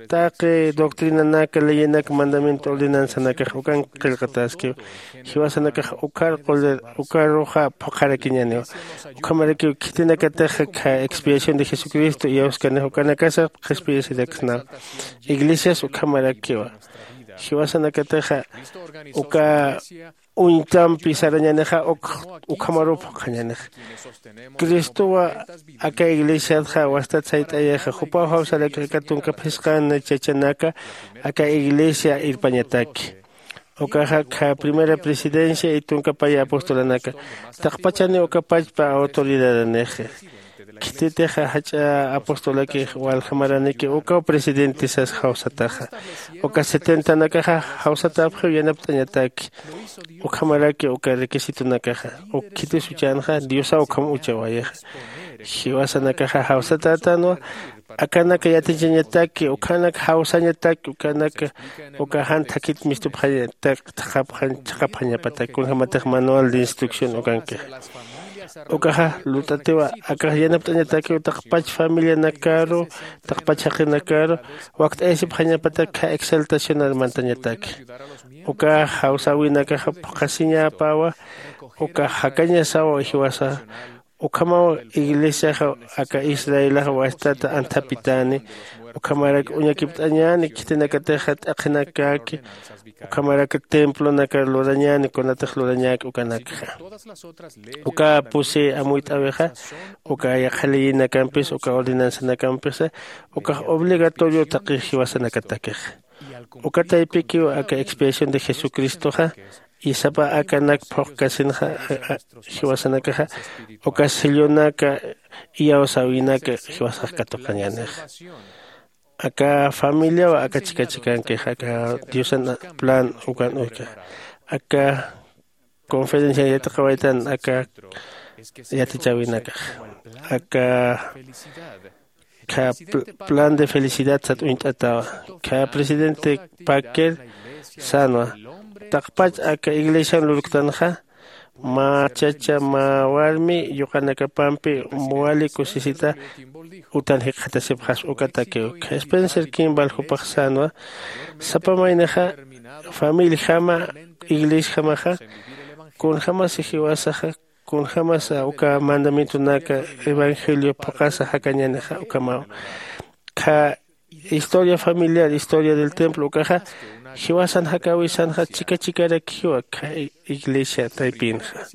Taqi doctrinanaka, leyenaka, mandamiento, ordenanzanakax ukan qillqataskiw. Jiwasanakax ukar qulir ukaruxa phuqharakiñäniwa. Ukhamarakiw khitinakatix kha expiación de Jesucristo iyawskanix ukanakasa qhispiyasiraksnawa. Iglesias ukhamarakiwa. Jiwasanakatixa uka uñtampi sarañänixa uk ukhamaruw phuqhañänixa. Cristowa aka iglesiatxa wastat sayt'ayixa, jupaw jawsarakix aka tunka phisqan chachanaka aka iglesia irpañataki. Ukaxa kha primera presidencia y tunka paya apostolanaka, taqpachaniw uka pachpa autoridadanixi. Khititixa jach'a apostolakix walja maraniki ukaw presidente sas jawsataxa. Uka setentanakaxa jawsatäpxiw yanapt'añataki. Ukhamaraki uka requisitonakaxa uk khitis uchänxa diosaw ukham uchawayixa. Jiwasanakaxa jawsatätänwa, akanaka yatichañataki, ukhanak jawsañataki, ukanaka uka jan thakit mistupxañatak thaqhapxañ chhaqhapxañapatak kunjämatix manual de instrucción ukankixa. Ukaxa lurt'atiwa akax yanapt'añatakiw taqpach familianakaru, taqpach jaqinakaru wakt'ayasipxañapatak kha exaltacionar mantañataki. Uka jawsäwinakaxa phuqhasiñapawa. Uka jakañasawa jiwasa. Ukhamaw iglesiaxa aka israelax wastata anthapitäni. Ukhamarak uñakipt'añäni khitinakatixa t'aqhinakäki. Ukhamarak templonakar lurañäni kunatix lurañäki ukanakxa. Uka pusi amuyt'äwixa uka yaqha leyinakampis uka ordenanzanakampisa ukax obligatorio taqi jiwasanakatakixa. Uka taypikiw aka expiación de jesucristoxa isapa akanak phuqkasinxa jiwasanakaxa uka sellonaka iyawsäwinaka jiwasax katuqañänixa. Aka familiaw aka chika chikankixa aka diosan plan ukan uyka aka conferencia yatiqawaytan aka yatichäwinakax aka kha plan de felicidad sat uñt'atawa. Kha presidente packer sänwa taqpach aka iglesian lurktanxa mä chacha mä warmi yuqanakapampi wali kusisita utan jikxatasipxaspa ukatakiw. Kha spencer kimball jupax sänwa sapa maynixa familjama iglesjamaxa kunjämasa jiwasaxa kunjämasa uka mandamientonaka evangelio phuqhasa jakañänixa ukhamaw. Kha historia familiar historia del templo ukaxa jiwasan jakäwisanxa chika chikarakiwa kha iglesia taypinxa.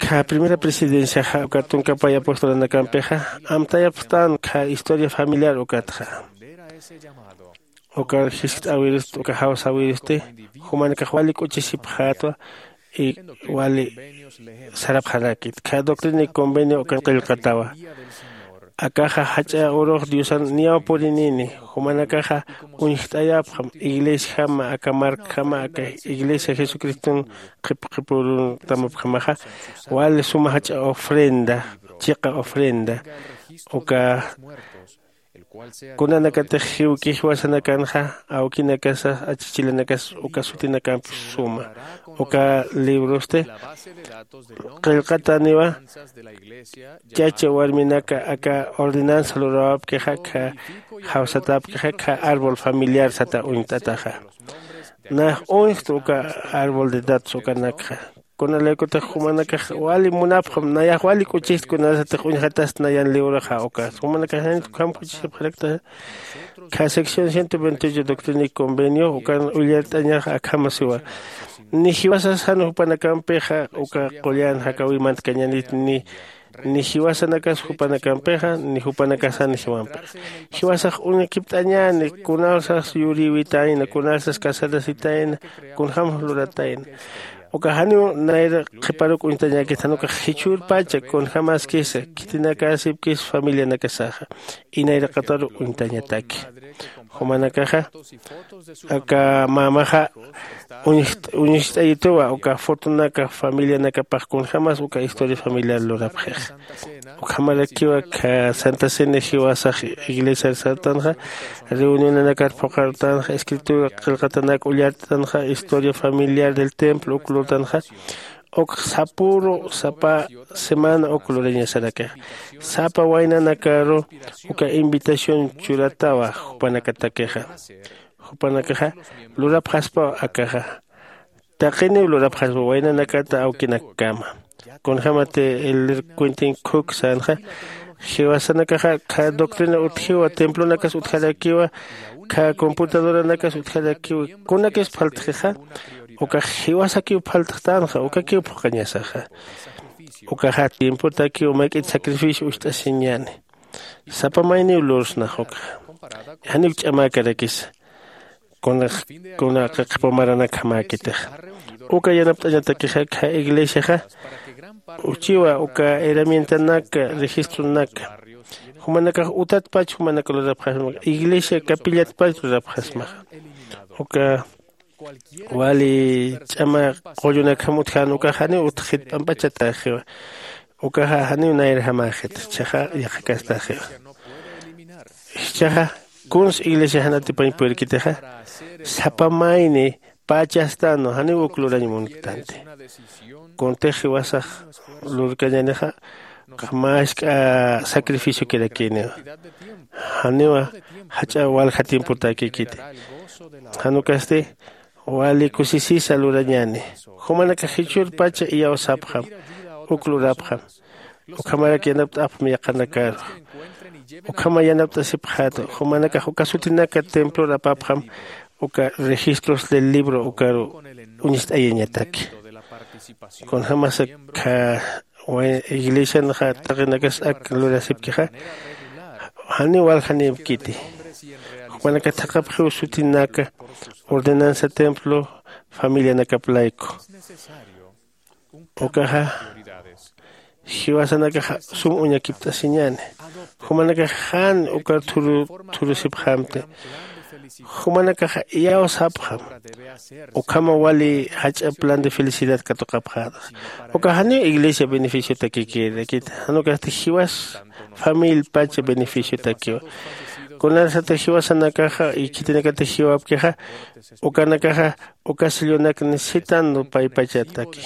Kha primera presidenciaxa uka tunka pay apostolanakampixa amtayapxtän kha historia familiar ukatxa. Ukar jiskt'äwirist uka jawsäwiristi jumanakax wali k'uchisipxätwa y wali sarapxarakit kha doctrina y convenio ukan qillqatawa. Akaxa jach'a urux diosan niyaw purinini jumanakaxa uñjt'ayapxam iglesiajama aka markjama aka iglesia jesucriston qhipqhipuruntamapjamaxa wali suma jach'a ofrenda chiqa ofrenda uka Kunanakatix jiwki jiwasanakanxa awkinakasa achichilanakas uka sutinakampi suma uka librosti qillqataniwa. Chacha warminaka aka ordenanza lurawapkixa kha jawsatapkixa kha árbol familiar sata uñt'ataxa. Nax uñxt uka árbol de datos ukanakxa. Kunalaykutix jumanakax wali munapxam nayax wali k'uchist kunasatix uñxatast nayan liwraxa ukas jumanakax janit ukham k'uchisipxarakta. Kha sección ciento veintiocho doctrina y convenio ukan ullart'añax akhamasiwa. Ni jiwasas jan jupanakampixa uka qullan jakawimantkañanit ni ni jiwasanakas jupanakampixa ni jupanakas jan jiwampixa. Jiwasax uñakipt'añäni kunasas yurïwitayna kunasas casarasitayna kunjämas luratayna. Uka janiw nayra qhiparuk uñtañäkit jan ukax jichhürpacha kunjämaskisa khitinakasipkis familianakasaxa inayraqataru uñtañataki. Jumanakaxa aka mamaxa uñst'ayituwa uka fotonaka familianakapax kunjämas uka historia familiar lurapxixa. Ukhamarakiwa kha santa cena jiwasax iglesiar sartanxa reunionanakar phuqhartanxa escritura qillqatanak ullartanxa historia familiar del templo uk lurtanxa. Uk sapüru sapa semana uk lurañasarakixa sapa waynanakaru uka invitación churatawa jupanakatakixa. Jupanakaxa lurapxaspaw akaxa taqiniw lurapxaspa waynanakata awkinakkama. Kunjämati el cuentin khuk sänxa jiwasanakaxa kha doctrina utjiwa templonakas utjarakiwa kha computadoranakas utjarakiwa kunakis phaltxixa. Ukax jiwasakiw phaltxtänxa ukakiw phuqañasaxa. Ukaxa tiempotakiw mayk'it sacrificio ucht'asiñäni. Sapa mayniw lursnax ukaxa janiw ch'amäkarakisa. Kunax kuna qhiqhipaw maranakjamäkitixa uka yanapt'añatakixa kha iglesiaxa uchiwa uka herramientanaka registronaka jumanakax utatpach jumanaka lurapxasmaxa iglesia capillatpach lurapxasmaxa. Uka wali ch'ama qullunakjam utjän ukax janiw utjxit p'amp'achatäxiwa. Ukaxa janiw nayrjamäxit jichhaxa yaqhakastaxiwa. Jichhaxa kuns iglesia jan atipañ purirkitixa sapa mayni pachastänwa janiw uk lurañ munktanti. Kuntix jiwasax lurkañänixa mask'a sacrificiokirakïniwa. Janiwa jach'a walja tiempotäkikiti. Jan ukasti wali kusisisa lurañäni. Jumanakax jichhürpacha iyawsapxam uk lurapxam. Ukhamarak yanapt'apxam yaqhanakaru. Ukhama yanapt'asipxäta jumanakax uka sutinaka templor apapxam uka registros del libro ukaru uñst'ayañataki. Kunjämasa kha iglesianxa taqinakas ak lurasipkixa janiw waljanïpkiti. Jupanakax thaqhapxiw sutinaka ordenanza templo familianakap layku. Ukaxa jiwasanakaxa sum uñakipt'asiñäni. Jumanakax jan ukar thuru thurusipxamti. Jumanakaxa iyawsapxam ukhama wali jach'a plan de felicidad katuqapxäta. Uka janiw iglesia beneficiotakikirakita jan ukasti jiwas familia pacha beneficiotakiwa. Kunasatix jiwasanakaxa y khitinakatix jiwapkixa ukanakaxa uka sellonak necesitan paypachataki.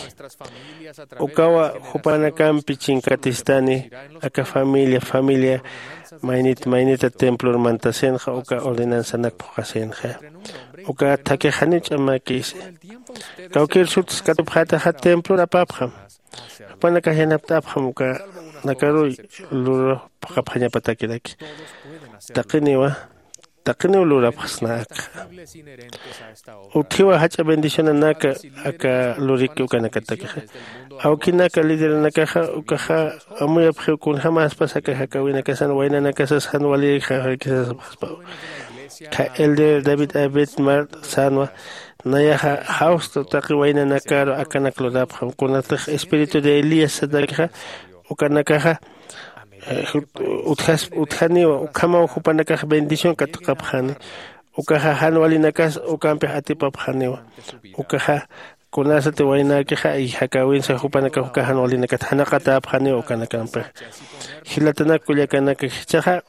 Ukawa jupanakampi chinkatistani aka familia familia maynit maynita templor mantasinxa uka ordenanzanak phuqasinxa. Uka thakix janiw ch'amäkisi. Kawkïr suts katupxätaxa templor apapxam. Jupanakax yanapt'apxam ukanakaruy lurapxapxañapatakiraki. Taqiniwa taqiniw lurapxsna akxa. Utjiwa jach'a bendicionanaka aka luriki ukanakatakixa. Awkinaka lideranakaxa ukaxa amuyapxiw kunjämaspas aka jakäwinakasan waynanakasas jan walirikxaxarkisasapxaspaw. Kha elder david abetmar sänwa nayaxa jawsta taqi waynanakaru akanak lurapxam kunatix espíritu de elías satakixa ukanakaxa utjaniwa ukhamaw jupanakax bendición katuqapxani. Ukaxa jan walinakas ukampix atipapxaniwa. Ukaxa kunasati waynäkixa y jakäwinsa jupanakax uka jan walinakat janaqatäpxaniw ukanakampixa. Jilatanak kullakanaka jichhaxa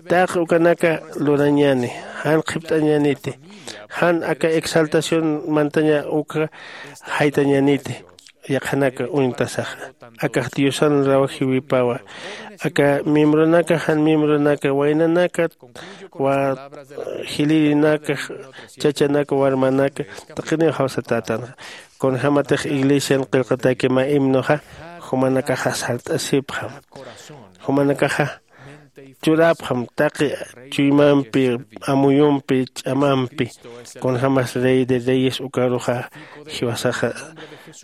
taqi ukanaka lurañäni, jan qhipt'añäniti, jan aka exaltación mantaña uka jaytañäniti. Yaqhanaka uñtasaxa akax diosan rawajiwipawa. Aka miembronaka jan miembronaka waynanaka, jilirinaka, chachanaka warmanaka taqiniw jawsatätanxa. Kunjämatix iglesian qillqataki mä himnoxa jumanakaxa sart'asipxam. Jumanakaxa churäpxam taqi chuymampi, amuyumpi, ch'amampi. Kunjämas rey de reyes ukaruxa jiwasaxa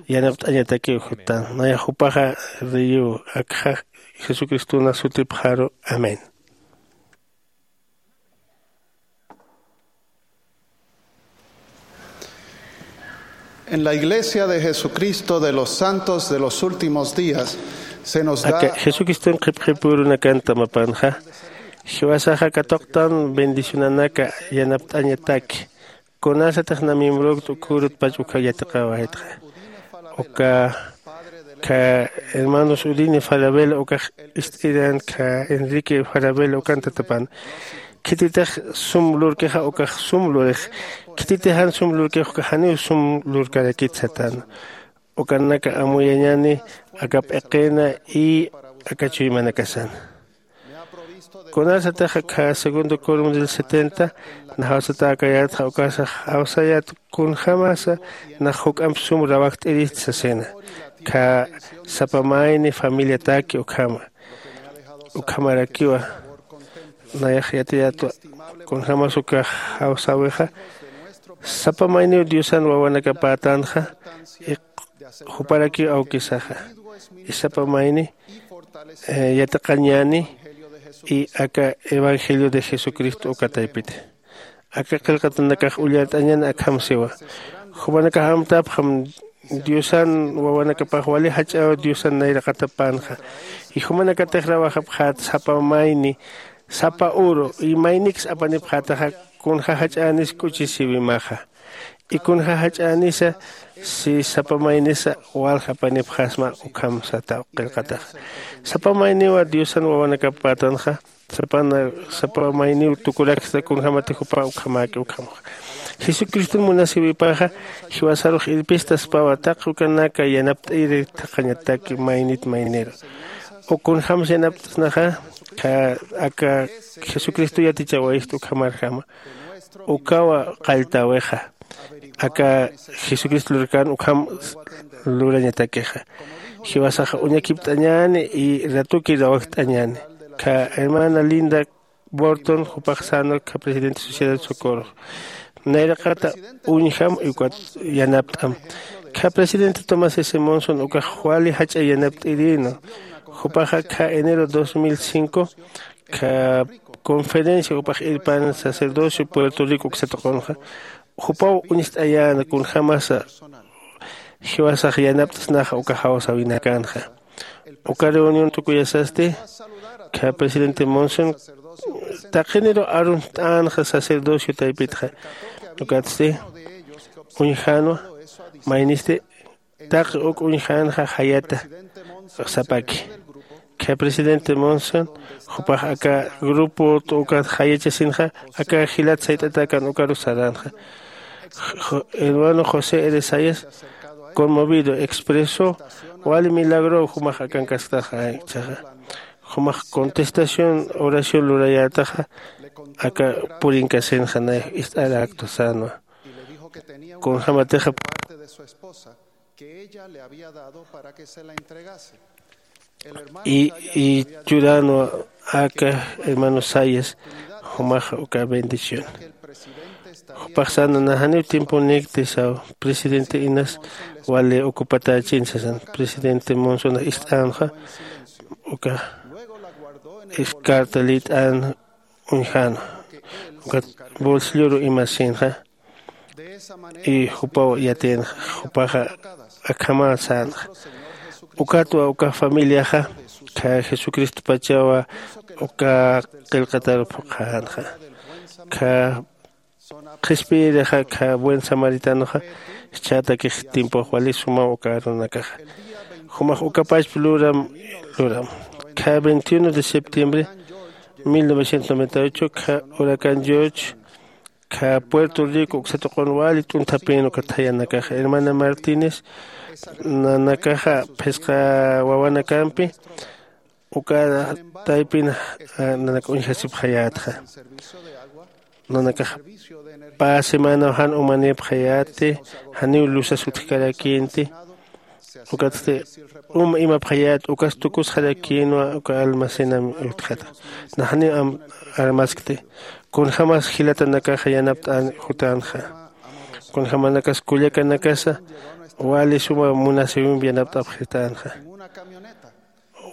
yanapt'añatakiw juttan. Nayax jupaxa reyiw akxa jesucristona sutipxaru. Amén. En la iglesia de jesucristo de los santos de los últimos días se nos da aka jesucriston qhipqhipürunakan tamapanxa jiwasaxa katuqtan bendicionanaka yanapt'añataki. Kunasatix na miembrokt ukhürutpach uka yatiqäwaytxa uka kha hermanos udini farabela ukax ist'iran kha enrique farabela ukan tatapan. Khititix sum lurkixa ukax sum lurix. Khititix jan sum lurkix ukax janiw sum lurkarakit satan. Ukanaka amuyañani aka p'iqina y aka chuymanakasan. Kunasatix akha segundo corum del setenta najawsatäkayätxa ukasax jawsayät kunjämasa nax juk'amp sum rawajt'irist sasina. Kha sapa mayni familiataki ukhama ukhamarakiwa. Nayax yatiyätwa kunjämas ukax jawsäwixa sapa mayniw diosan wawanakapätanxa. Juparakiw awkisaxa isapa mayni yatiqañäni. Y aka evangelio de jesucristo uka taypiti aka qillqatanakax ullart'añäni akham siwa. Jumanakax amtapxam diosan wawanakapax wali jach'äw diosan nayraqatapänxa. Y jumanakatix rawajapxät sapa mayni sapa uru y mayniks apanipxätaxa kunja jach'änis k'uchisiwimaxa. Y kunja jach'änisa si sapa maynisa walja apanipxasma ukham sataw qillqataxa. Sapa mayniwa diosan wawanakapätanxa. Sapana sapa mayniw tukuraksta kunjämati jupa ukhamäki ukhamxa. Jesucriston munasiwipaxa jiwasarux irpistaspawa taqi ukanaka yanapt'iri thaqhañataki maynit mayniru. Ukunjämsa yanapt'snaxa kha aka jesucristo yatichawayist ukhamarjama. Ukawa qalltäwixa aka jesucristo lurkän ukham lurañatakixa. Jiwasaxa uñakipt'añäni y ratuki rawajt'añäni. Kha hermana linda borton jupax sänwa kha presidente sociedad socorro nayraqata uñjam y ukat yanapt'am. Kha presidente tomás s monson ukax wali jach'a yanapt'irïnwa. Jupaxa kha enero dos mil cinco kha conferencia jupax irpan sacerdocio puerto rico uksatuqunxa. Jupaw uñst'ayäna kunjämasa jiwasax yanapt'snaxa uka jawsäwinakänxa. Uka reunión tukuyasasti kha presidente monson taqiniru aruntt'änxa sacerdocio taypitxa. Ukatsti uñjänwa maynisti taqi uk uñjänxa jayata sapaki. Kha presidente monson jupax aka grupo ukat jayachasinxa aka jilat sayt'atäkan ukaru saränxa. Hermano josé eresayas conmovido expresó wali milagrow jumax akankasktaxa. Jumax contestación oración lurayätaxa aka purinkasinxa nayax ist'aräktu sänwa. Kunjämatixa que ella le había dado para que se la entregase. Y churänwa aka hermano sayas jumaxa uka bendición. Jupax säna na janiw tiemponikti saw presidente inas wali ocupatächin sasan presidente monsonax ist'änxa. Uka carta lït'än uñjänwa ukat bolsilloru imasinxa. Y jupaw yatïnxa jupaxa akhamä sänxa. Ukatwa uka familiaxa kha jesucristopachawa uka qillqatar phuqhänxa. Kha qhispiyirixa kha buen samaritanxa. Chhatakix tiempox wali sumaw uka arunakaxa. Jumax ukapachp luram luram kha veintiuno de septiembre mil novecientos noventa y ocho kha huracán george kha puerto rico uksatuqun wali t'unthapïn uka thayanakaxa hermana martínez nanakaxa phisqa wawanakampi uka taypin nanaka uñjasipxayätxa. Nanakax pä semanaw jan umanïpxayäti janiw lusas utjkarakïnti. Ukatsti uma imapxayät ukas tukusxarakïnwa uka almacenam utjata. Nax janiw armaskti kunjämas jilatanakaxa yanapt'an jutänxa. Kunjämanakas kullakanakasa wali suma munasïwimp yanapt'apxitänxa.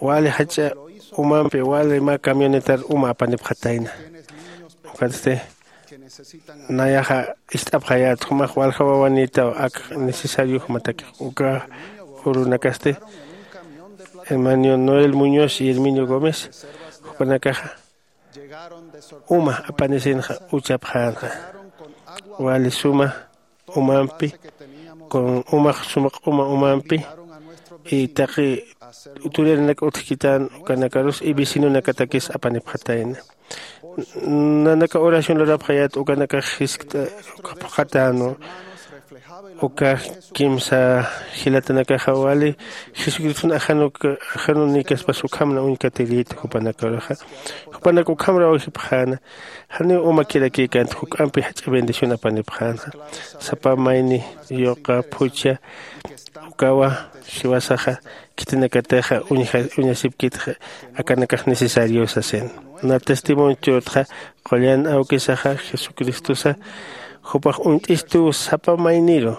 Wali jach'a umampi wali mä camionetar uma apanipxatayna. Ukatsti nayaxa ist'apxayät jumax walja wawanïtaw ak necesariojamatakix uka urunakasti hermano noel muñoz y herminio gómez jupanakaxa uma apanisinxa uchapxänxa. Wali suma umampi con umax suma q'uma umampi y taqi turiranak utjkitän ukanakarus y vecinonakatakis apanipxatayna. Nanaka oración lurapxayät ukanakax jiskt'a phuqhatänwa. Uka kimsa jilatanakaxa wali jesucriston ajanunïkaspas ukhamna uñkatirïta jupanakaruxa. Jupanak ukhamraw jipxäna. Janiw umakirakïkänti juk'ampi jach'a bendición apanipxänxa. Sapa mayni yuqa phuchha ukawa jiwasaxa khitinakatixa uñasipkitxa akanakax necesarios sasin. Na testimonio churtxa qullan awkisaxa jesucristosa jupax uñt'istuw sapa mayniru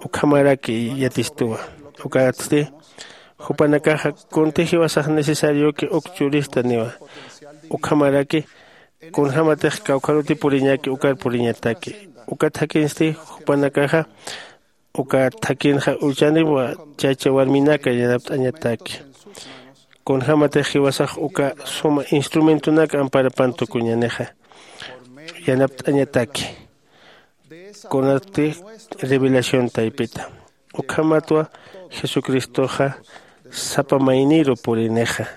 ukhamaraki yatistuwa. Ukatsti jupanakaxa kunti jiwasax necesarioki uk churistaniwa. Ukhamaraki kunjämatix kawkharuti puriñäki ukar puriñataki. Ukat jakinsti jupanakaxa uka thakhinxa uchaniwa chacha warminaka yanapt'añataki. Kunjämatix jiwasax uka suma instrumentonak amparapan tukuñänixa yanapt'añataki. Kunatsti revelación taypita ukhamatwa jesucristoxa sapa mayniru purinixa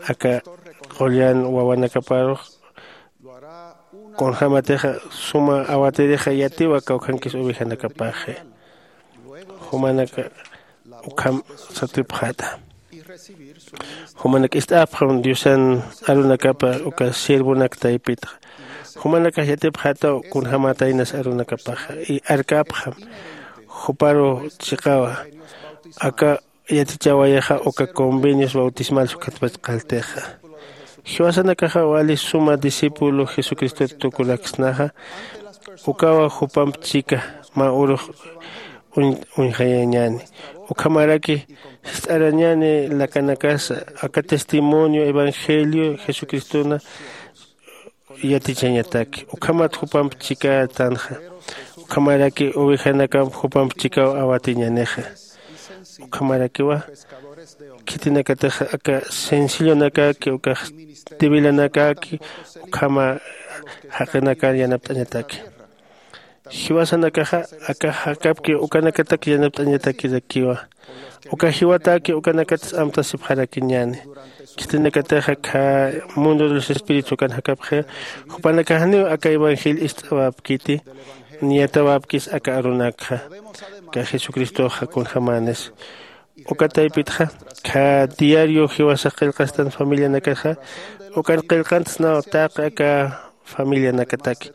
aka qullan wawanakaparux. Kunjämatixa suma awatirixa yatiwa kawkhankis ovejanakapaxi. Jumanaka ukham satipxäta. Jumanak ist'apxam diosan arunakapa uka siervonak taypitxa. Jumanakax yatipxätaw kunjämätaynas arunakapaxa y arkapxam juparu chiqawa aka yatichawayaxa uka convenios bautismales ukhatpach qalltixa. Jiwasanakaxa wali suma discípulo jesucristot tukuraksnaxa ukawa jupamp chika mä urux uñjayañäni. Ukhamaraki jist'arañäni lakanakasa aka testimonio evangelio jesucristona yatichañataki ukhamat jupamp chikätanxa. Ukhamaraki ovejanakamp jupamp chikaw awatiñänixa. Ukhamarakiwa khitinakatix aka sencillonakaki ukax debilanakäki ukhama jaqinakar yanapt'añataki. Jiwasanakaxa aka jakapki ukanakatak yanapt'añatakirakiwa. Uka jiwatäki ukanakatsa amtasipxarakiñäni. Khitinakatixa kha mundo de los espíritus ukan jakapxi jupanakax janiw aka evangelio ist'awapkiti. Niyatawapkis aka arunakxa aka jesucristoxa kunjämänis. Uka taypitxa kha diario jiwasax qillqastan familianakaxa ukan qillqantsnaw taqi aka familianakataki.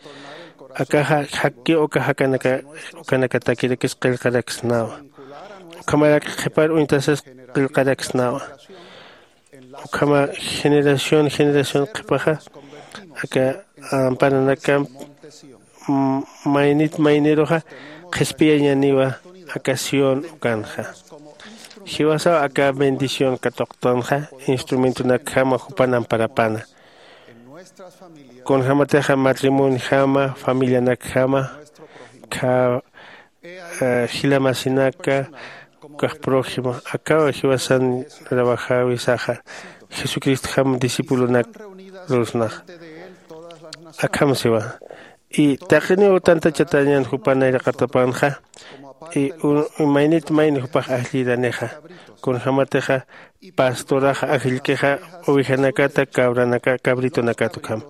Akaxa jakki uka jakanaka ukanakatakirakis qillqaraksnawa. Ukhamarak qhipar uñtasas qillqaraksnawa. Ukhama generación generación qhipaxa aka amparanakamp maynit mayniruxa qhispiyañaniwa. Aka sión ukanxa jiwasaw aka bendición katuqtanxa instrumentonakjama jupan amparapana. Kunjämatixa matrimonjama familianakjama kha jila masinaka ukax prójimo akaw jiwasan trabajäwisaxa jesucristojam discipulonak lurusnaxa. Akham siwa Y taqiniw tantachatañan jupa nayraqatapanxa. Y maynit mayni jupax ajlliranixa, kunjämatixa pastoraxa ajllkixa ovejanakata cabranaka cabritonakat ukham.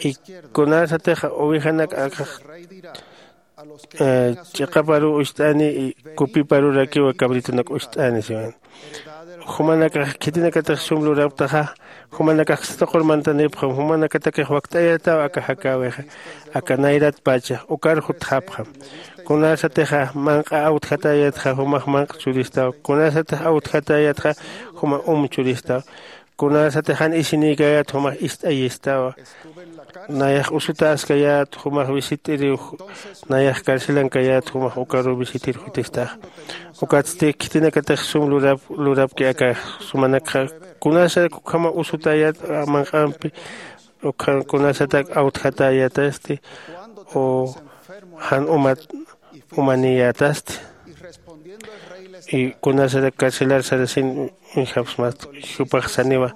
Y kunasatixa ovejanak akax ch'iqaparuw ucht'ani y kupiparurakiwa cabritonak ucht'ani siwan. Jumanakax khitinakatix sum lurapktaxa, jumanakax satuqur mantanipxam, jumanakatakix wakt'ayataw aka jakäwixa, aka nayratpacha ukar jutxapxam. Kunasatixa manq'a awtjatäyatxa jumax manq'a churistaw, kunasatix awtjatäyatxa juma um churistaw. Kunasatix jan isinïkäyät jumax ist'ayistawa. Nayax usutäskayät jumax visit'iriw, nayax carcelankayät jumax ukaruw visitir jutistaxa. Ukatsti khitinakatix sum lurap lurapki aka sumanakxa, kunasarak ukhama usutäyät manq'ampi, ukhan kunasatak awtjatäyätasti o jan umat umaniyätasti. Y kunasatak carcelar sarasin uñjapxsmasti, jupax saniwa.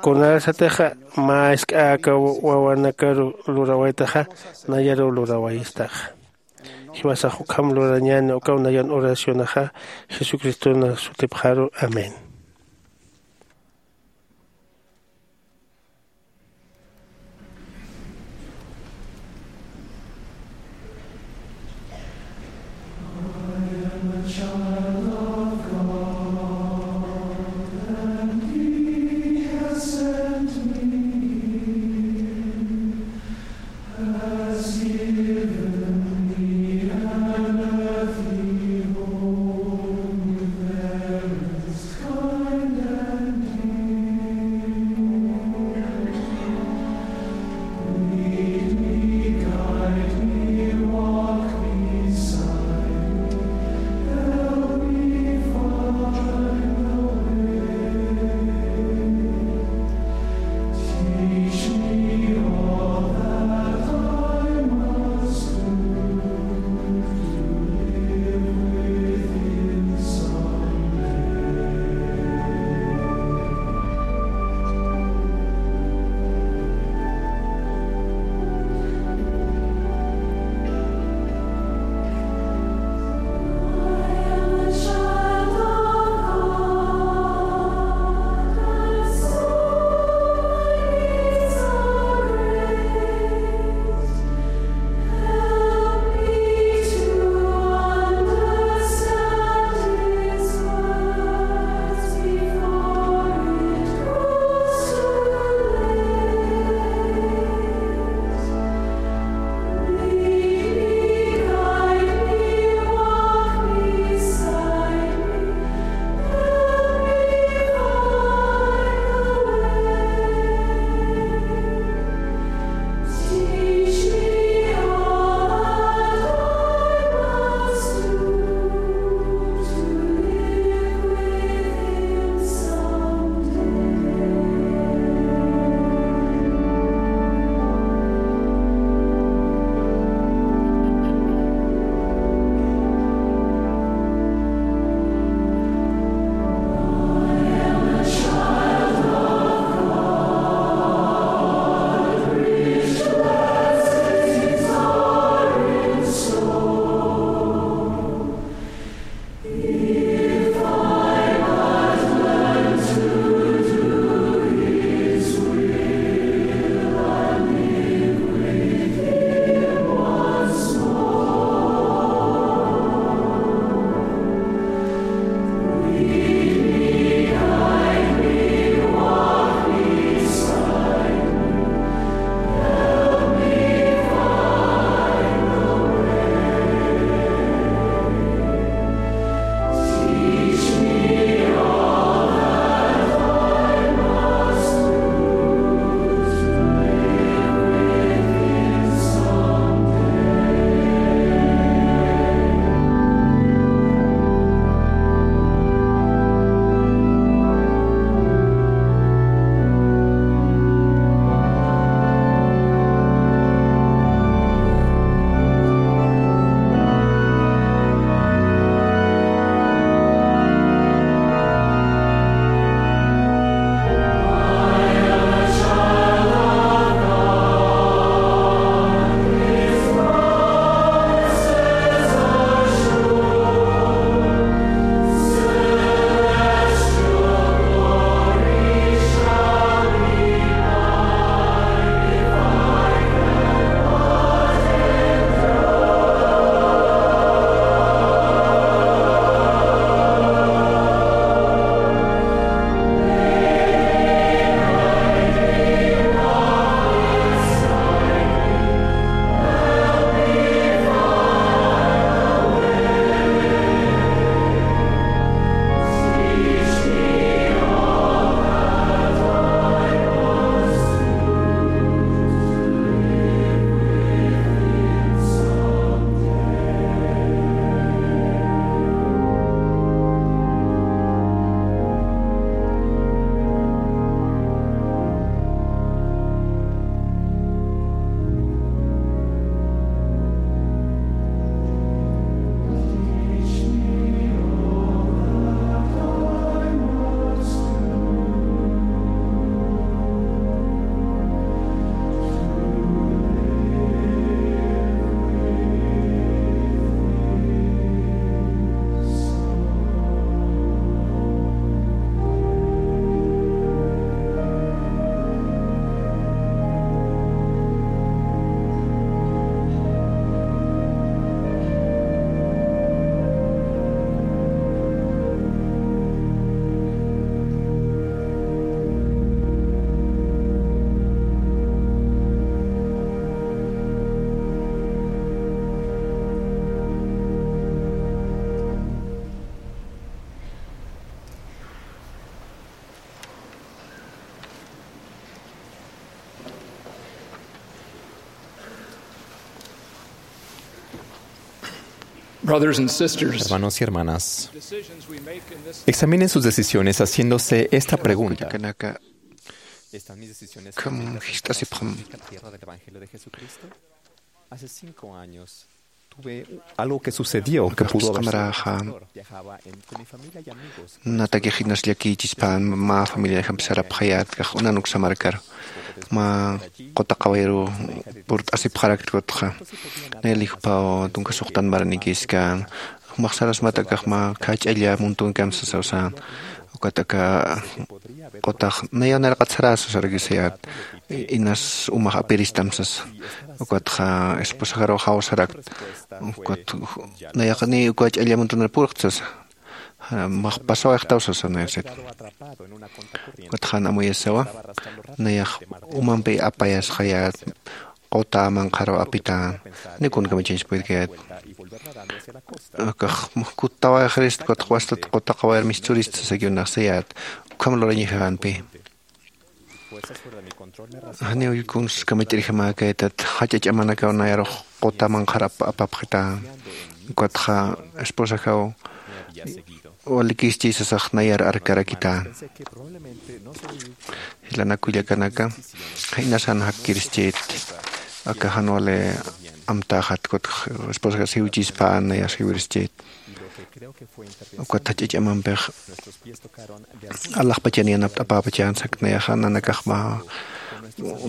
Kunasatixa mä jisk'a aka wawanakaru lurawaytaxa, nayaruw lurawayistaxa. Jiwasax ukham lurañäni, ukaw nayan oracionaxa, jesucristona sutipxaru. Amén. Brothers and sisters, hermanos y hermanas, examinen sus decisiones haciéndose esta pregunta. Kullakanaka, ¿están mis decisiones cambiando la tierra del Evangelio de Jesucristo? Hace cinco años tuve algo que sucedió que pudo haber sido devastador. Viajaba en, con mi familia y amigos. Natakix inas llakïchispan mä familiaxampi sarapxayät kax unan uksa markar. Mä quta qawayiru purt'asipxarakta kutxa. Nayali jupaw tunka suxtan maranikïskan. Jumax sarasmat akax mä khach'alla muntunkam sasaw sän. Ukat aka qutax nayaw nayraqat saräsa sarakisayät. Inas umax apiristam sasa. Ukatxa esposaxaruw jawsarakta. Ukat nayax ni uka ch'alla muntunar purxta sasa. Max pasawayxtaw sasa nayasit. Ukat jan amuyasawa. Nayax umampi apayasxayät. Quta manqharaw apitän. Ni kun kamachañs pudirkayät. Akax kuttawayxarist, ukat wastat quta qawayar mischurist sasakiw naxsayät. Ukham lurañjänpi. Janiw kuns kamachirjamäkaytat, jach'a ch'amanakaw nayarux quta manqhar ap-, apapxitän. Ukatxa esposajaw walikischi sasax nayar arkarakitän. Jilanak kullakanaka, jaynasan jakkirischit, aka jan wali amtäxat, kut esposaja siwchispän nayas jiwirischit. Ukat jach'a ch'amampix alaxpachan yanapt'apäpachan sak nayaxa nanakax mä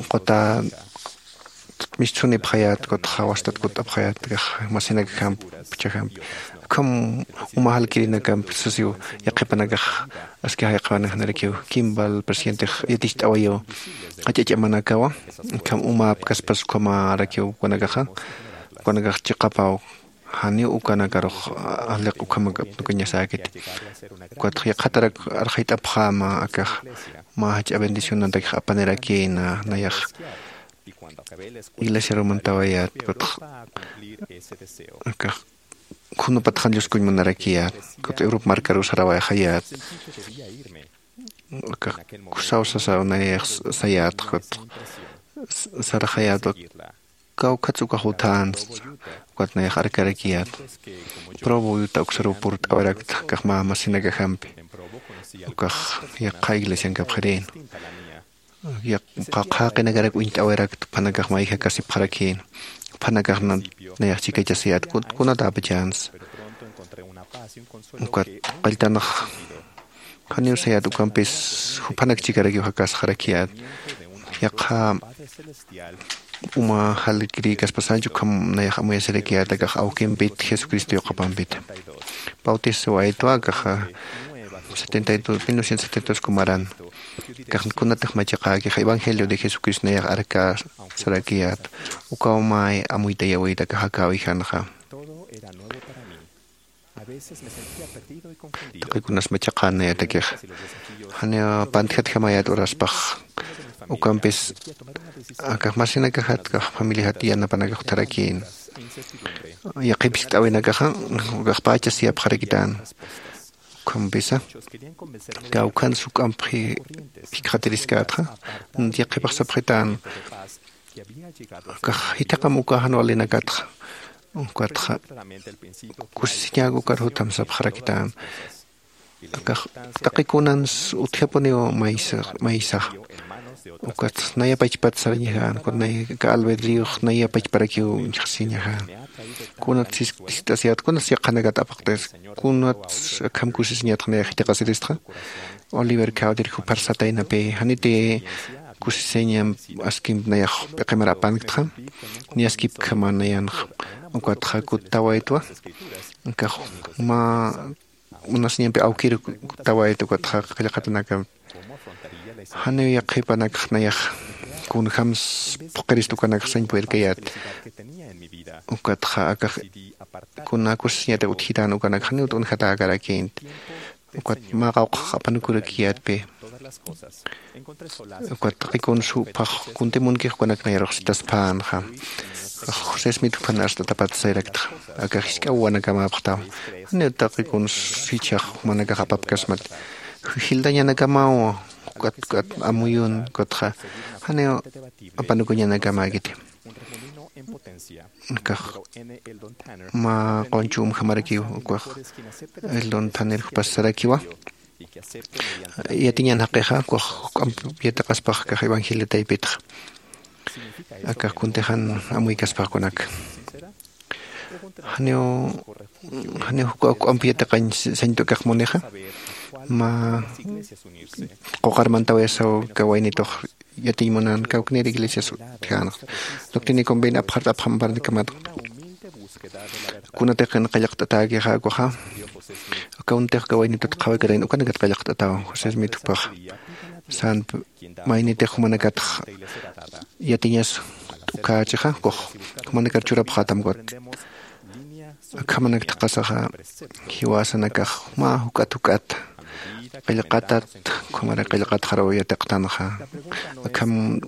quta mischunipxayät, kutxa wastat kutt'apxayät, kax masinakajamp, puchajamp. Ukham uma jalkirinakamp sasiw yaqhipanakax aski jayq'awanajnarakiw, Kimball presidentix yaticht'awayiw, jach'a ch'amanakawa, ukham umapkaspas ukhamarakiw ukanakaxa, ukanakax chiqapaw. Janiw ukanakarux, a, aliq ukhamak apnukañasäkiti. Ukatx yaqhatarak arxayt'apxäma akax, mä jach'a bendicionantakix apanirakïna, nayax iglesiaru mantawayät, ukatx akax khunupatxan Dioskuñ munarakiyät, ukat Europa markaruw sarawayxayät. Akax kusaw sasaw nayax sayät, ukat s-, saraxayät, kawkhats ukax uthan, ukat nayax arkarakiyät. Provo Utah uksaruw purt'awarakta, akax mä masinakajampi. Ukax yaqha iglesiankapxirïn. Yaq-, qa-, qhaqinakarak uñt'awarakta, juphanakax mayja kasipxarakïn. Juphanakax na-, nayax chikachasiyät, kun-, kunatäpachans. Ukat qalltanax janiw sayät, ukampis juphanak chikarakiw jakasxarakiyät. Yaqha uma jalkirïkaspasanch ukham nayax amuyasirakiyät, akax awkimpit Jesucristo yuqapampit. Bautisawaytwa akaxa setenta y dos, mil novecientos setenta y dos kumaran. Akax kunatix machiqäkix Evangelio de Jesucristo nayax arkäsarakiyät. Ukaw may amuytayawayta akax jakäwijanxa. Taqikunas machaqän nayatakix. Janiw pantjatjamäyät uraspax. Ukampis akax masinakajat, akax familiajat yanapanakax utjarakïn. Yaqhip jiskt'äwinakaxa, akax pächas yapxarakitän. Ukhampisa, kawkhans juk'amp ji-, jikxatiriskätxa, yaqhipax sapxitän. Akax jithiqam uka jan walinakatxa. Ukatxa kusisiñäk ukar jutam sapxarakitän. Akax taqi kunans utjapuniw maysa, maysax. Ukat naya pachpat sarañaxän, ukat naya aka albedríox naya pachparakiw uñjasiñaxän. Kunat sis-, sist'asiyät, kunat yaqhanakat apaqtis, kunat akham kusisiñatxa naya jithiqasiristxa. Oliver Cowdery jupar sataynapi, janiti kusisiñam askim nayax p'iqimar apanktxa, ni askipkjama nayanxa. Ukatxa kuttawaytwa, akax mä munasiñampi awkir kuttawayta, ukatxa qillqatanakam. Janiw yaqhipanakx nayax kunjams phuqirist ukanakx sañ purirkayät. Ukatxa akax kuna kusisiñatak utjitän ukanakx janiw t'unjatäkarakïnti. Ukat mä qawqhax apanukurakiyätpi. Ukat taqi kuns juphax kunti munkix ukanak nayarux sitaspänxa. José Smith juphan arst'atapat sayraktxa. Akax jisk'a wawanakamäpxtaw. Janiw taqi kuns jichhax jumanakax apapkasmat. Jildañanakamaw, ukat, ukat amuyun, ukatxa. Janiw apanukuñanakamäkiti. Kax mä qunchumjamarakiw ukax, Eldon Tanner jupasarakiwa. Yatiñan jaqixa ukax juk'amp yatiqaspax kax evangelio taypitxa. Akax kuntixan amuykaspaxkunak, janiw janiw juk'a juk'amp yatiqañ sañt'u akax munixa. Mä quqarmantawayasaw kawaynitux yatiñ munan kawknir iglesias utjänxa. Doctrina y convenio apxart apxamparnikamat kunatix qillqt'atäkixa ukaxa, kawntix kawaynitut qhawikarayn ukanakat qillqt'ataw. José Smith jupaxa sänp maynitix jumanakatx yatiñas t'ukächixa ukax jumanakar churapxätam ukat. Akhamanak thaqasaxa jiwasanakax mä juk'at juk'at qillqatat, ukhamara qillqatxaraw yatiqtanxa. Akham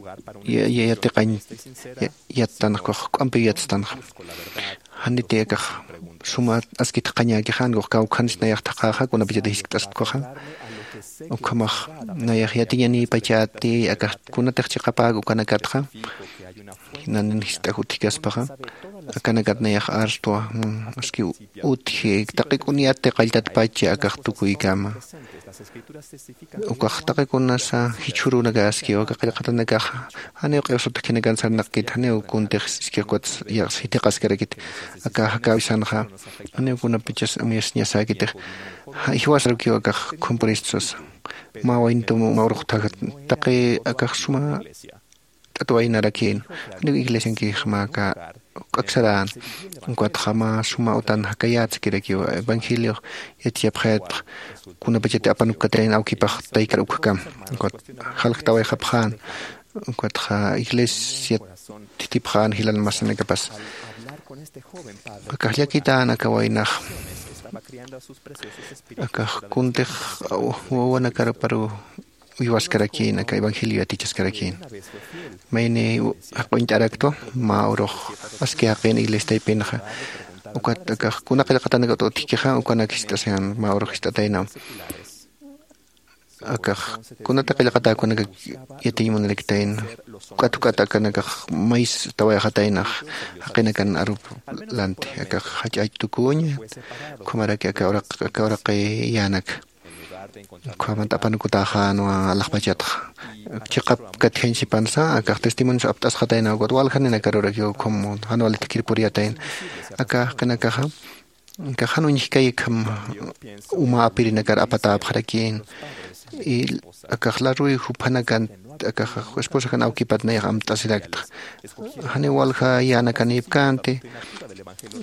yatiqañ yattanxa ukax k'ampiw yatstanxa. Janiti akax suma askit qañäkixa, ankux kawkhansi nayax thaqäxa kunapachatix jiskt'asktuxa. Ukhamax nayax yatiñanïpachäti akax kunatix chiqapäk ukanakatxa. Nanin jist'aj utjkaspaxa, akanakat nayax arstwa. Aski utji taqi k'uniyati qalltatpacha akax tukuykama. Ukax taqi kunasa jichhürunakaskiw aka qillqatanakaxa. Janiw q'iwsut khinakan sarnaqkit, janiw kuntix iskix ukat sithiqaskarakit. Aka jakäwisanxa janiw kunapachas amuyasiñasäkitix. Jiwasarukiw akax khumpuristusasa. Mä waynitum mä urux thajat taqi akax suma t'atwaynarakin. Janiw iglesiankix mä aka juk'aksarän. Ukatxa mä suma utan jakayätskirakiw evangeliox yatichapxayatx kunapachati apanukkatrayn awkipax taykar ukkakam. Ukat jalktawayxapxän. Ukatxa iglesiat thithipxän jilan masinakapas. Akax llakitän aka waynax akax kuntix wawanakaraparu uywaskarakïn aka evangelio yatichaskarakïn. Mayni jaq'uñt'araktwa mä urux aski jaqïn iglesia taypinxa. Ukat akax kuna qillqatanakat utjkixa ukanak jist'asayän mä urux jist'ataynam. Akax kunata qillqatäkunakak yatiñ munaraktayna. Juk'at juk'at akanakax maystawayxataynax jaqinakan arup lanti akax jach'ach'tukuña. Ukhamaraki aka uraq aka uraqi yänaka ukhamat apanukutäxänwa alaxpachatxa. Chiqap katjañsipansa akax testimonios apt'asxatayna ukat waljaninakar urakiw ukham jan walit kirpuriyatayna. Aka jaqinakaxa akax jan uñjkay ukham uma apirinakar apatäpxarakïn. Y akax laruy jupanakan akax esposakan awkipat nayax amt'asiraktxa. Janiw walja yänakanïpkänti.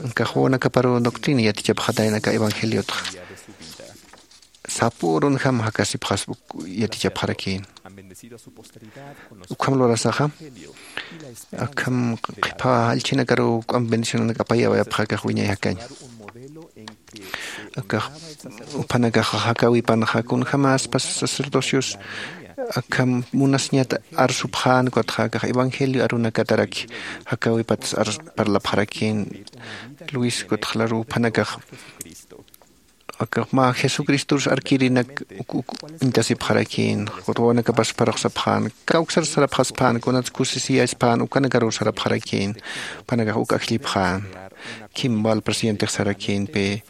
Akax wawanakaparu doctrina yatichapxatayna aka evangeliotxa. Sapürunjam jakasipxaspa yatichapxarakïn. Ukham lurasaxa akham qhipa jallchhinakaruw juk'amp bendicionanak apayawayapxa akax wiñay jakañ. Akax juphanakax jakäwipanxa kunjämaspas sacerdocios akham munasiñat arsupxän ukatxa akax evangelio arunakataraki jakäwipatas parlapxarakïn. Luis ukatxa laru juphanakax akax mä jesucristorus arkirinak uk uk uñtasipxarakïn. Wawanakapas parux sapxän kawksar sarapxaspän kunats kusisiyasipän ukanakaruw sarapxarakïn. Jupanakax uk ajllipxän. Kimbal presidentix sarakïnpi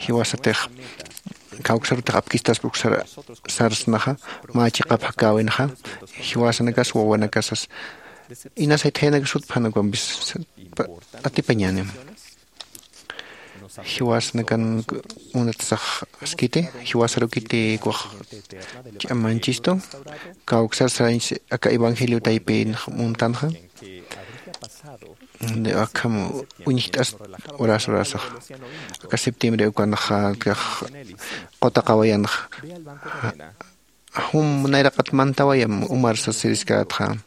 jiwasatix kawksarutix apkistaspa uksar sarsnaxa mä chiqap jakäwinxa. Jiwasanakas wawanakasas inasaytjayanakasutpan ukampis atipañänim. Jiwasnakan munatsax askiti jiwasarukiti ukax ch'amanchistu kawksar sarañs aka evangelio taypin muntanxa. Akham uñjt'as horas horasax aka septiembre ukanxa akax qutaqawayanxa. Jum nayraqat mantawayam umar sasiriskatxa.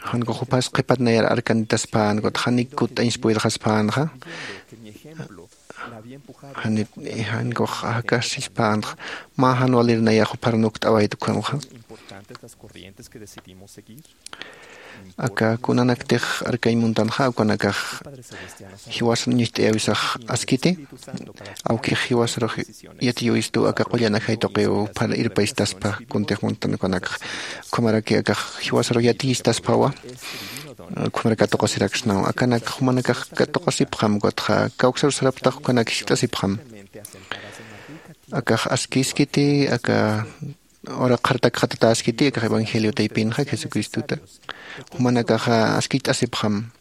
Janku jupas qhipat nayar arkanitaspän kut janik kut'añs puyrxaspänxa. Janit jankux jakasispänxa mä jan walir nayax jupar nukt'awayt ukhamxa. Aka kunanaktix arkañ muntanxa ukanakax jiwasan ñucht'ayawisax askiti. Awkix jiwasarux yatiyawistu aka qullan ajay tuqiw phar irpaystaspa kuntix muntan ukanakax. Ukhamaraki akax jiwasarux yatiyistaspawa. Ukhamar katuqasiraksnaw. Akanak jumanakax katuqasipxam, ukatxa kawksar saraptax ukanak jiskt'asipxam. Akax askiskiti, aka ura qhartak jatatäskiti, akax evangelio taypinxa Jesucristuta. Jumanakaxa askicht'asipxam.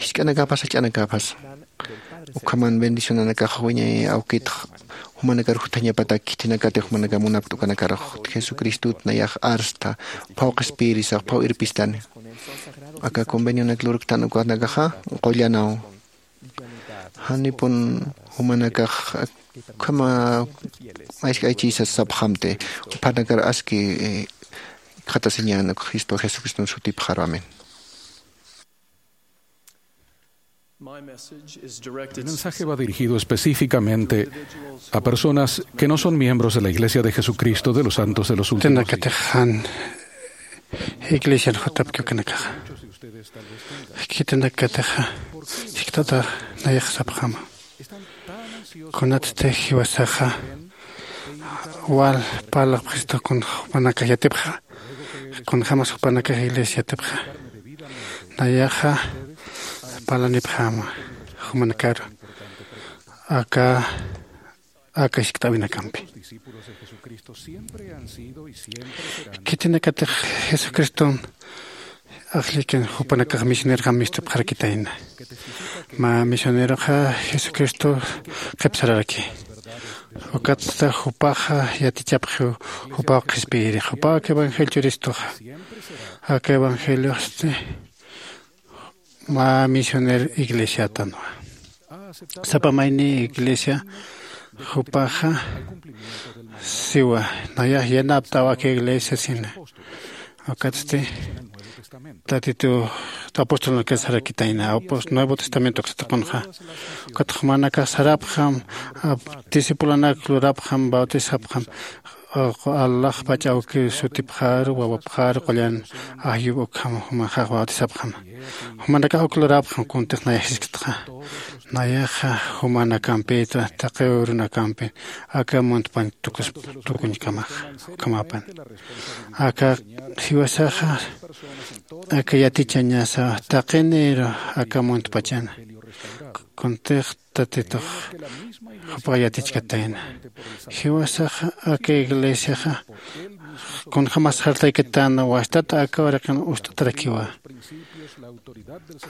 Jisk'anakapas, jach'anakapas. Ukhaman bendicionanakax wiñay awkitx jumanakar juthañapatak khitinakati jumanakar munapkta ukanakarux. Jesucristut nayax arsta, phaw qhispiyirisax, phaw irpistani. Aka convenionak lurktan ukanakaxa qullanaw. Janipun jumanakax ukhama aysk'aychisas sapxamti, juphanakar aski, eh, qhatasiñän Cristo Jesucristun sutipxaru. Amén. Mi mensaje va dirigido específicamente a personas que no son miembros de la Iglesia de Jesucristo de los Santos de los Últimos Días. Iglesian jutapki ukanakaxa. Khitinakatixa jikxatata nayax sapxama. Kunatsti jiwasaxa wal parlapxistu kun jupanakax yatipxa, kunjämas jupanakax iglesia yatipxa. Nayaxa parlanipxäma jumanakaru aka aka jiskt'äwinakampi. Khitinakatix Jesucriston ajllikin jupanakax misioneroxam mistupxarakitayna. Mä misioneroxa Jesucristo qhipsararaki. Ukatsta jupaxa yatichapxiw jupaw qhispiyiri, jupaw aka evangelio churistuxa. Aka evangelioxsti mä misioner iglesiatanwa. Sapa mayni iglesia jupaxa siwa, nayax yanapt'aw aka iglesia sina. Ukatsti Tatitu apostolnakax sarakitayna, apos-, Nuevo Testamento uksataqunxa. Ukat jumanakax sarapxam, ap-, discipulanak lurapxam, bautizapxam, alaxpach awki sutipxaru, wawapxaru, qullan ajyup ukham jumanakax bautizapxam. Jumanakax uk lurapxam kuntix nayax jisktxa. Nayaxa jumanakampita, taqi urunakampi, aka muntpañ tukus-, tukuñkamaxa, ukhamapan. Aka jiwasaxa, aka yatichañasa, taqiniru aka muntpachana. Kuntix Tatitux jupax yatichkatayna. Jiwasaxa aka iglesiaxa kunjämas sartaykitana, wastat aka uraqin ust'atarakiwa.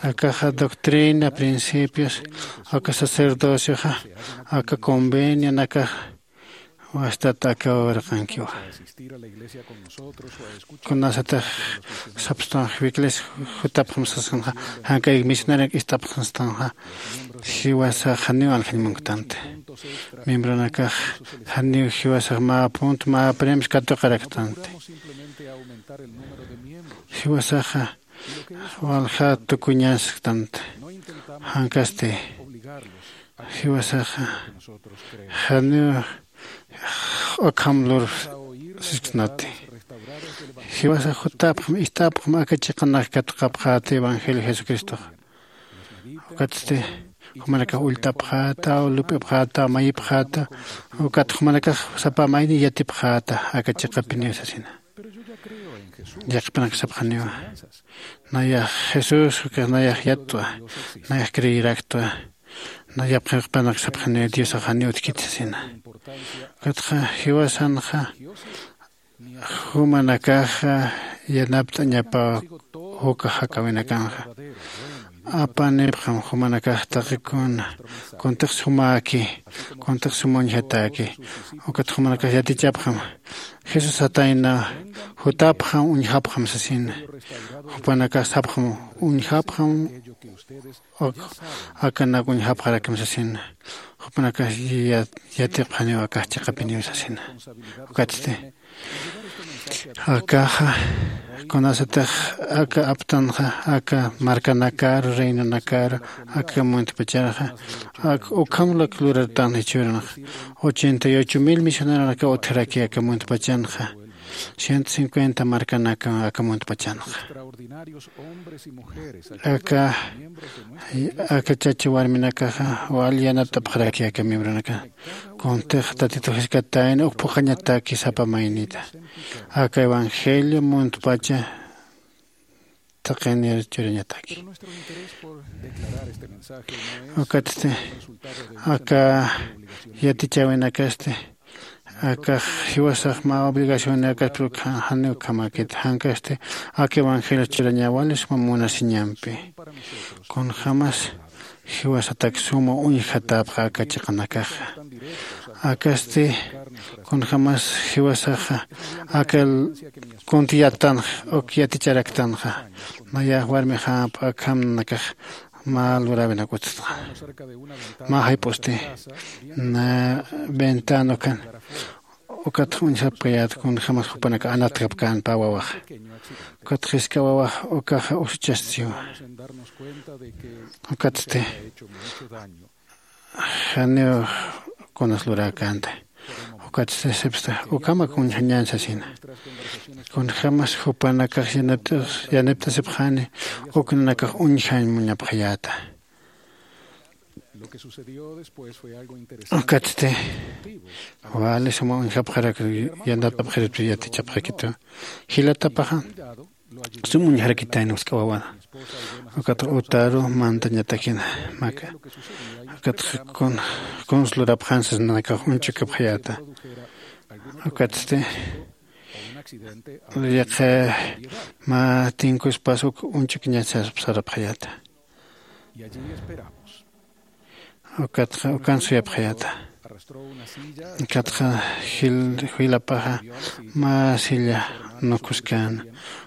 Akaxa doctrina, principios, aka sacerdocioxa, aka convenionakax wastat aka uraqinkiwa. Kunasatix sapxtanxa, wiklis jutapxam sasxtanxa, janka misioneronak ist'apxtanxa, jiwasax janiw aljañ munktanti. Miembronakax janiw jiwasax mä punto, mä premios katuqaraktanti. Jiwasaxa walja tukuñasktanti. Jankasti jiwasaxa janiw ukham lur sisksnati. Jiwasax jutapxam, ist'apxam aka chiqanak katuqapxäti evangelio Jesucristox. Ukatsti jumanakax ullt'apxäta, lup'ipxäta, mayipxäta, ukat jumanakax sapa mayni yatipxäta aka chiqapiniw sasina. Yaqhipanak sapxaniwa. Nayax Jesús, ukax nayax yattwa, nayax creeraktwa, na yaqhipanak sapxaniwa Diosax janiw utjkiti sasina. Ukatxa jiwasanxa jumanakaxa yanapt'añapaw juk jakäwinakanxa. Apanipxam jumanakax taqi kuna, kuntix sumäki, kuntix sum uñjatäki. Ukat jumanakax yatichapxam. Jesús satayna, jutapxam, uñjapxam sasina. Jupanakax sapxam, uñjapxam, uk, akanak uñjapxarakim sasina. Jupanakax ya-, yatipxaniw akax chiqapiniw sasina. Ukatsti. Akaxa, kunasatix aka aptanxa, aka markanakaru, reinonakaru, aka muntpacharxa, ak ukham lurartan jichhürunxa. Ochenta y ocho mil misioneronakaw utjaraki aka muntpachanxa. Ciento cincuenta markanaka aka muntpachanxa. Aka, aka chacha warminakaxa wal yanapt'apxaraki aka miembronaka. Kuntix Tatitu jiskatayna uk phuqhañataki sapa maynita. Aka evangelio muntpacha thaqinir churañataki. Ukatsti aka yatichäwinakasti akax jiwasax mä obligacioninakaspi janiw ukhamäkit, jankasti aka evangelio churañäwali suma munasiñampi. Kunjämas jiwasatak suma uñjatäpxa aka chiqanakaxa. Akasti kunjämas jiwasaxa aka kuntiyattanxa uk yaticharaktanxa. Nayax warmixämp akham nanakax mä luräwinak utjtxa. Mä jayp'usti na ventana ukan ukatx uñjapkayät kunjämas jupanakax anatjapkän pä wawaxa. Ukatx jisk'a wawax ukaxa usuchastiwa. Ukatsti janiw kunas luräkänti. Ukatsti sipsta ukhamak uñjañän sasina. Kunjämas jupanakax yanipt'asipxani uk nanakax uñjañ muñapxayäta. Ukatsti wali suma uñjapxarak yanapt'apxiripti yatichapxakitu. Jilatapaxa sum uñjarakitayna jisk'a wawana. Ukat utaru mantañatakina maka. Ukat kuns lurapxän sasnanakax uñchukapxayäta. Ukatsti yaqha mä tinkuspas uk uñchukña sarapxayäta. Ukatxa ukan suyapxayäta. Ukatxa jilapaxa mä silla nukuskäna.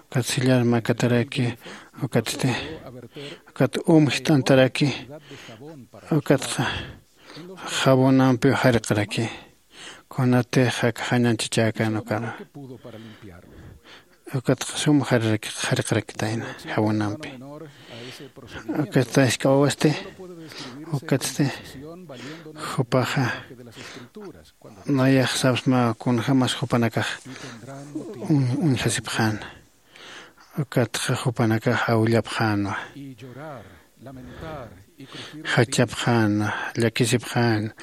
Ukat sillar makataraki ukatsti ukat um jist'antaraki. Ukatxa jabonampiw jariqraki. Kunatix aka jañanchichäkän ukaru. Ukatxa sum jariqrakitayna jabonampi. Ukatxa jisk'a wawasti ukatsti jupaxa nayax sapsma kunjämas jupanakax uñjasipxäna. Ukatxa jupanakax awillapxänwa, jachapxänwa, llakisipxänwa,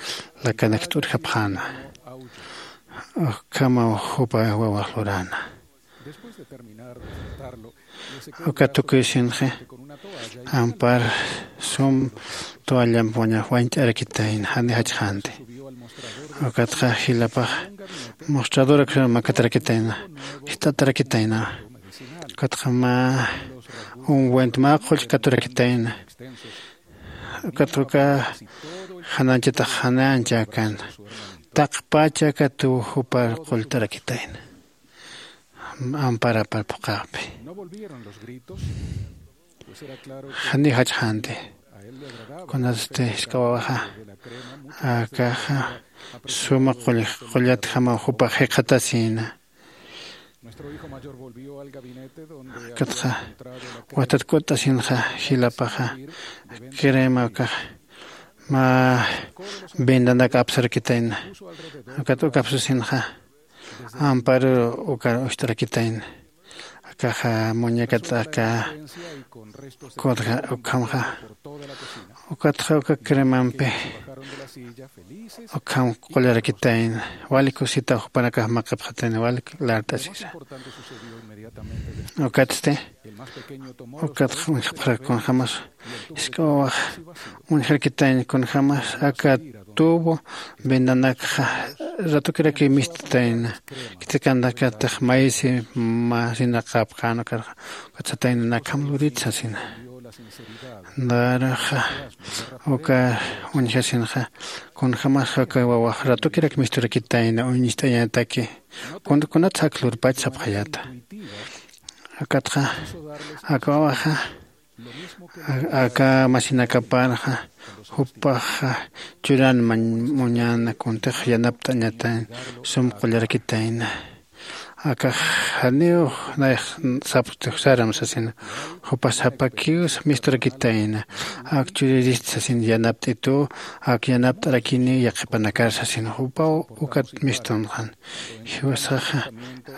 lakanak t'urjapxänwa. Ukhamaw jupa wawax luräna. Uka tukuy sinxi ampar sum toallamp wañt'arakitayna jani jachxänti. Ukatxa jilapax mostrador aksar makatarakitayna jist'atarakitayna. Ukatxa mä umwent mä qull katurakitayna. Ukat uka janañchatax janañchäkän taqpacha katuw jupar qulltarakitayna. Amparapar phuqhaqpi janiw jachxänti. Kunatsti jisk'a wawaxa akaxa suma qullatjamaw jupax jikxatasïna. Ukatxa watat k'utt'asinxa jilapaxa crema ukax mä vendanak apsarakitayna. Ukat ukapsasinxa amparu ukar ucht'arakitayna. Akaxa muñecat aka kudja ukhamxa ukatxa uka cremampi ukham qullarakitayna. Wali kusita jupanakax maqipxatayna wali lart'asisa. Ukatsti ukatxa uñjapxarak kunjämas jisk'a wawax uñjarakitayna kunjämas aka tubo vendanakxa ratukirakiw mistutayna. Khitirkanakatix maysi masinaqapkän ukarxa ukat satayna nakham lurit sasina. Naruxa uka uñjasinxa kunjämas aka wawax ratukirak misturakitayna uñist'añataki. Kunatsa ak lurpach sapxayäta. Ukatxa aka wawaxa aka masinakaparxa jupaxa churan muñäna kuntix yanapt'añatayna sum qullarakitayna. Akax janiw nayax sapxti saram sasina. Jupax sapakiw misturakitayna ak churirist sasina yanapt'itu ak yanapt'arakiniw yaqhipanakar sasina jupaw ukat mistunxan. Jiwasaxa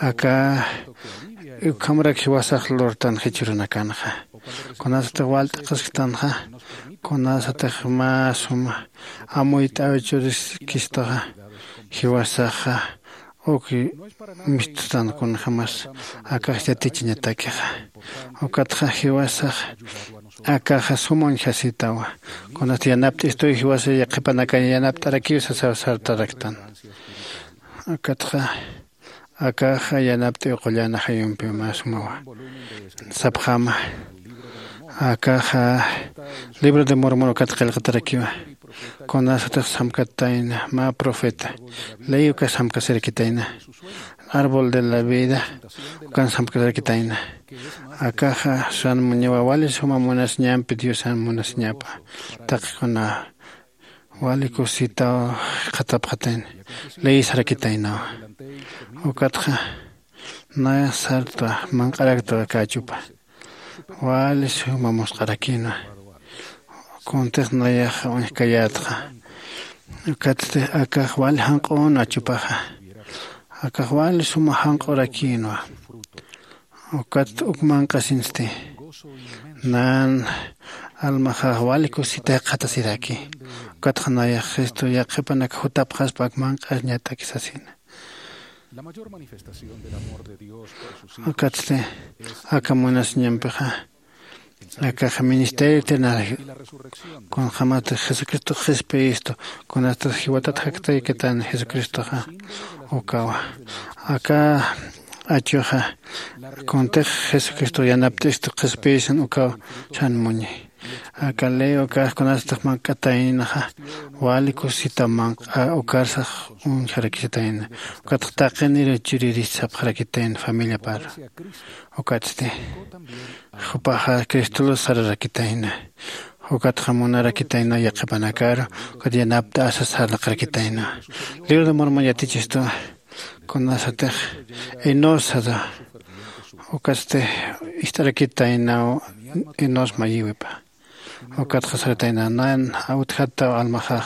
aka ukhamarak jiwasax lurtan jichhürunakanxa. Kunasatix walt'aqasktanxa kunasatix mä suma amuyt'aw churiskistaxa jiwasaxa Uki misttan kunjämas akax yatichañatakixa. Ukatxa jiwasax akaxa suma uñjasitawa. Kunasti yanapt'istuy jiwasa yaqhipanakañ yanapt'arakiw sasaw sartaraktan. Ukatxa akaxa yanapt'iw qullan ajayumpiw mä sumawa. Sapxäma akaxa libro de Mormon ukat qillqatarakiwa. Kunasatix samkatayna mä profeta ley ukas samkasirakitayna. Árbol de la vida ukan samkasirakitayna. Akaxa san muñawa wali suma munasiñampi diosan munasiñapa. Taqikuna wali kusitaw qhatapxatayna. Ley sarakitaynawa. Ukatxa naya sarta manq'araktwa kachupa wali suma musq'arakïnwa. Kuntix nayaxa uñjkayätxa. Ukatsti akax wali janq'un achupaxa. Akax wali suma janq'urakïnwa. Ukat uk manq'asinsti nan almaxax wali kusita jikxatasiraki. Ukatxa nayax jesucristo yaqhipanak jutapxaspa ak manq'añataki sasina. Ukatsti aka munasiñampixa akaxa ministerio eternario kunjämatix jesucristox qhispiyistu. Kunastix jiwatat jaktaykatan jesucristoxa ukawa aka achuxa kuntix jesucristox yanapt'istu qhispiyisan ukaw san muñi. Aka ley ukax kunastix manq'ataynaxa wali kusita manq'a ukarsax uñjarakisitayna. Ukatxa taqinir churiris sapxarakitayna familiapar. Ukatsti jupaxa cristolus sararakitayna. Ukatxa munarakitayna yaqhipanakaru ukat yanapt'asa sarnaqarakitayna. Libro de Mormon yatichistu kunasatix enosada. Ukatsti ist'arakitaynaw enos mayiwipa. Ukatxa saratayna nan awtjataw almaxax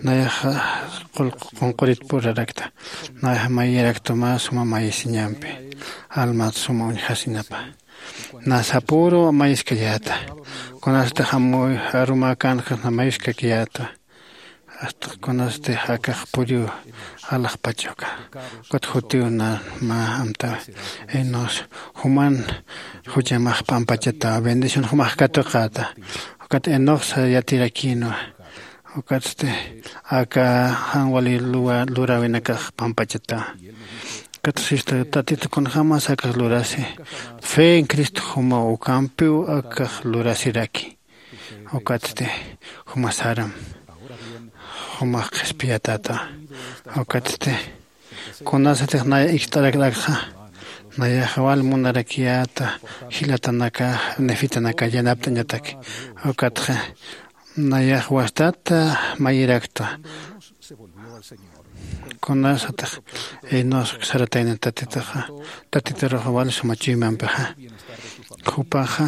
nayaxa qulqu qunqurit purarakta. Nayaxa mayiraktuma suma mayisiñampi almat suma uñjasinapa. Nasa puru mayiskayäta. Kunastix amuy arumäkänxa namayuskakiyäta. Asta kunasti akax puriw alaxpachuka ukat jutiw na mä amtawi. Enos juman juchamax p'ampachata bendición jumax katuqäta. Ukat enoxsa yatirakïnwa. Ukatsti aka jan wali luräwinakax p'ampachata. Ukatsti tatita kunjämas akax lurasi fe en cristo jumaw ukampiw akax lurasiraki. Ukatsti jumasaram jumax qhispiyatäta. Ukatsti kunasatix naya ikt'arakrakxa nayaxa wal munarakiyäta jilatanaka nefitanaka yanapt'añataki. Ukatxa nayax wastata mayiraktwa. Kunasatix enos saratayna tatitaxa tatitaruxa wal suma chuymampixa jupaxa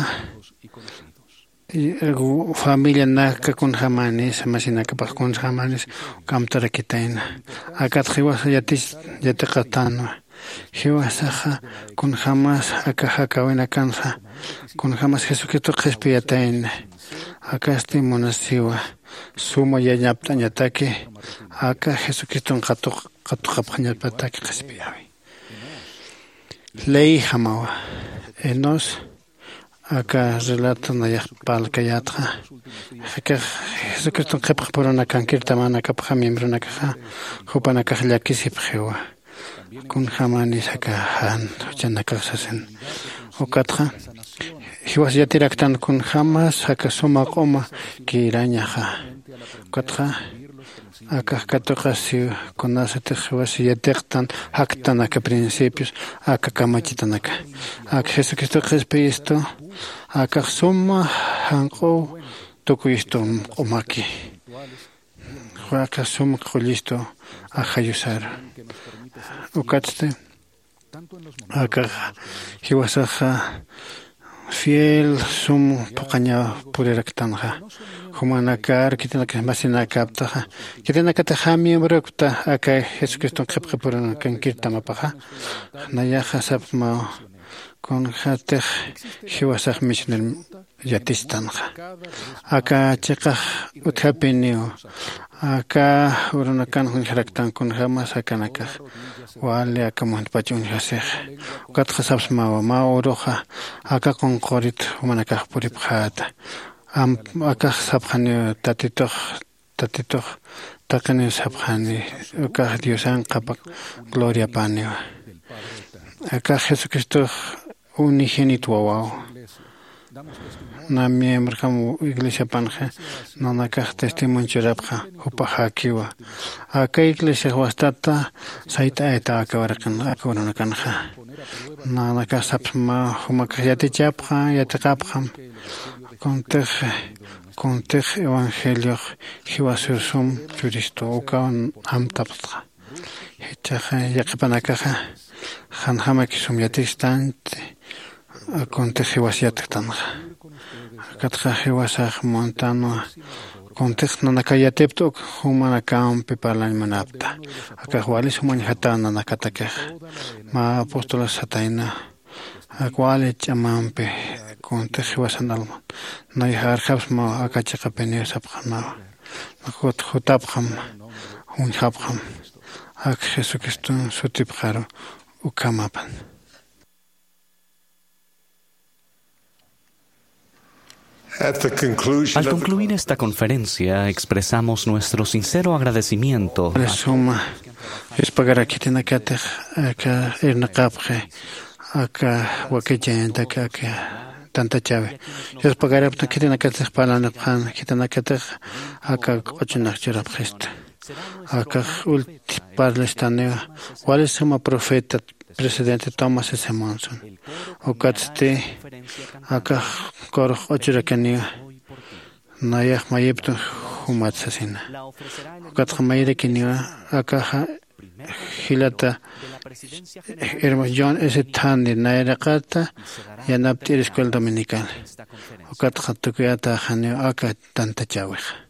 familianaka kunjämanis masinakapax kunjämanis ukamtarakitayna. Akat jiwasa yatiqatanwa. Jiwasaxa kunjämas aka jakäwinakanxa kunjämas jesucristo qhispiyatayna. Akasti munasiwa suma yañapt'añataki aka jesucriston qatuqapxañapataki qhispiyäwi. Leyjamawa enos aka relato nayax parlkayätxa. Akax jesucriston qhipxpurunakan kirtamanakapxa miembronakaxa jupanakax llakisipxiwa. Kunjämanis aka jan juchanakax sasin. Ukatxa jiwas yatiraktan kunjämas aka suma q'uma kirañaxa. Ukatxa akax katuqasiw kunasatix jiwas yatiqtan jaktanaka principios aka kamachitanaka aka jesucristo qhispiyistu. Akax suma janq'uw tukuyistu q'umaki. Juwa akax suma qullistu ajayusar. Ukatsti akax jiwasaxa fiel sum phuqhañaw puriraktanxa. Jumanakar khitinaka masinakäptaxa khitinakatix jä miembrorakta aka jesucriston qhipqipurunakankirtamapaxa. Nayaxa sapxmaw Kunjatix jiwasax michner yatistanxa. Aka chiqax utjapiniw aka urunakan juñjaraktan kunjämas akanakax wali aka muntpach uñjasix. Ukatxa sapsmawa mä uruxa aka qunqurit jumanakax puripxäta. Am akax sapxaniw tatitux tatitux taqiniw sapxani. Ukax diosan qhapa gloriapäniwa. Akax jesucristox unigénito wawaw. Na miembrojam iglesiapanxa nanakax testimonio churapxa jupaxäkiwa. Aka iglesiax wastata sayt'ayta aka waraqin aka urunakanxa. Nanakax sapsma jumakax yatichapxa yatiqapxam. Kuntix kuntix evangeliox jiwasur sum churistu ukaw amtapxtxa. Jichhaxa yaqhipanakaxa janjamaki sum yatistanti. Kuntix jiwas yatktanxa. Akatxa jiwasax muntanwa. Kuntix nanaka yatipta uk jumanakampi parlañ munapta. Akax wali sum uñjata nanakatakixa. Mä apostolas satayna. Ak wali ch'amampi kuntix jiwasan alman nayax arjapsmaw aka chiqapiniw sapxanawa. Jutapxam uñjapxam ak jesucriston sutipxaru. Ukhamapan. Al concluir esta conferencia, expresamos nuestro sincero agradecimiento. Suma. Yuspagarak khitinakatix aka irnaqapxi aka wakichañantak aka tantachawi. Yuspagarapta khitinakatix parlanipxan khitinakatix aka q'uchunak churapxista. Akax ulti parlastaniwa wali suma profeta presidente thomas s monson. Ukatsti akax qurux q'uchurakaniwa. Nayax mayipta jumat sasina. Ukatxa mayirakiniwa akaxa jilata hermano john s thandi nayraqata yanapt'ir escuela dominical. Ukatxa tukuyataxaniw aka tantachäwixa.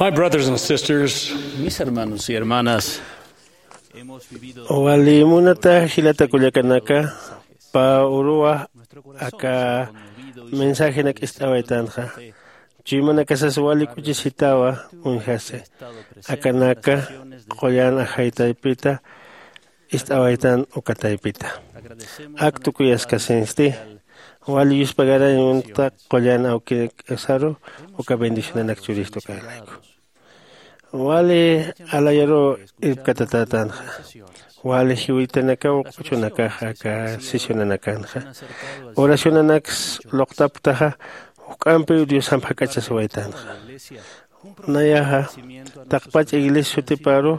My brothers and sisters, mis hermanos y hermanas, wali munata jilata kullakanaka, pä uruwa aka mensajenak ist'awaytanxa. Chuymanakasas wali k'uchisitawa uñjasi. Akanaka qullan ajaytaypita ist'awaytan uka taypita. Ak tukuyaskasinsti wali yuspagarañ uñta qullan awkirk'asaru uka bendicionanak churistu kaylayku. Wali alayaru irpkatatätanxa wali jiwitanakaw q'uchunakaxa aka sesionanakanxa oracionanaks luqtapktaxa. Juk'ampiw diosamp jak'achasiwaytanxa. Nayaxa taqpach iglesia sutiparu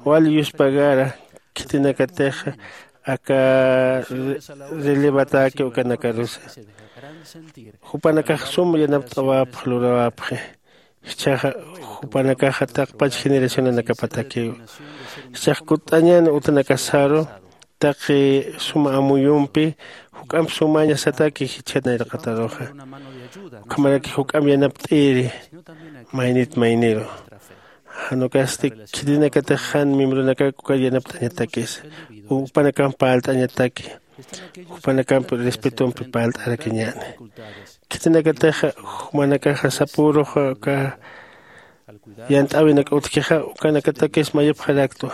wali yuspagara khitinakatix aka relevataki ukanakarusa. Jupanakax sum yanapt'awapx lurawapxi. Jichhaxa jupanakaxa taqpach generacionanakapatakiw. Jichhax kutt'añan utanakasaru taqi suma amuyumpi juk'amp sumañasataki jichha nayraqataruxa. Ukhamaraki juk'amp yanapt'iri maynit mayniru. Jan ukasti khitinakatix jan miembronakak uka yanapt'añatakisa. Jupanakamp parlt'añataki jupanakamp respetompi parlt'arakiñäni. Khitinakatix jumanakaxa sapürux uka yant'äwinak utjkixa ukanakatakis mayipxaraktwa.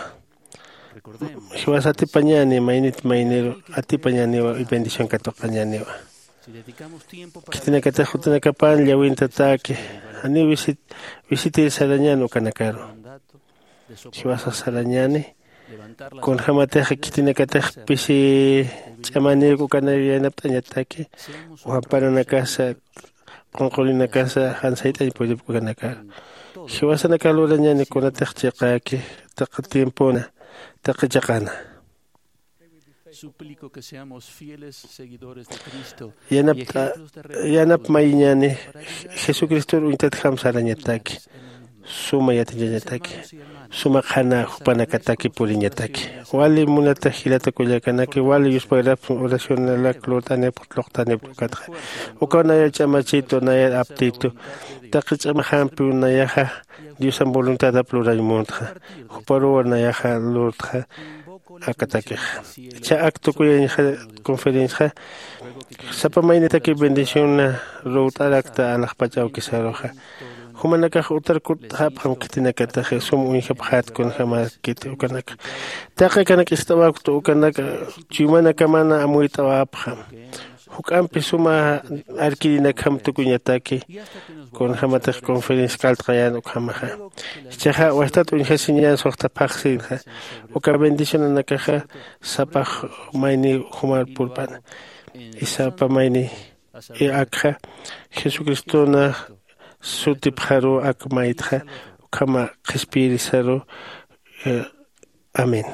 Jiwas atipañäni maynit mayniru atipañäniwa y bendición katuqañäniwa. Khitinakatix jutanakapan llawintatäki janiw visitir sarañän ukanakaru. Jiwasax sarañäni kunjämatix khitinakatix pisi ch'amanïk ukanak yanapt'añataki. Wamparanakasa qunqurinakasa jan sayt'añ puripk ukanakar. Jiwasanakax lurañäni kunatix chiqäki taqi tiempona taqi chiqana. Yanap mayiñäni jesucristor uñtatjam sarañataki. suma yatiñañataki, suma qhana jupanakataki puriñataki. Wali munata jilata kullakanaki, wali yuspagrapxi oracionalak lurt'anipxi, lluqtanipxi ukatxa. Ukaw nayar ch'amachitu, nayar aptitu, taqi ch'amaxampiw nayaxa Diosan voluntadap lurañ muntxa, juparuw nayaxa lurtxa akatakixa. Ichha ak tukuyañxa conferenciaxa sapa maynitaki bendición ruwt'arakta alaxpach awkisaruxa. Jumanakax utar kutt'apxam khitinakataxa sum uñjapxät kunjämäkiti ukanaka. Taqi akanak ist'awaktu ukanaka chuymanakaman amuyt'awapxam. Juk'ampi suma arkirinakjam tukuñataki kunjämatix conferencia k'alt'xayän ukhamaxa. Jichhaxa wastat uñjasiñän suxta phaxsinxa. Uka bendicionanakaxa sapa mayni jumar purp'ana. Y sapa mayni akxa jesucriston sutipxaruw ak maytxa ukhama qhispiyirisaruw. Amén.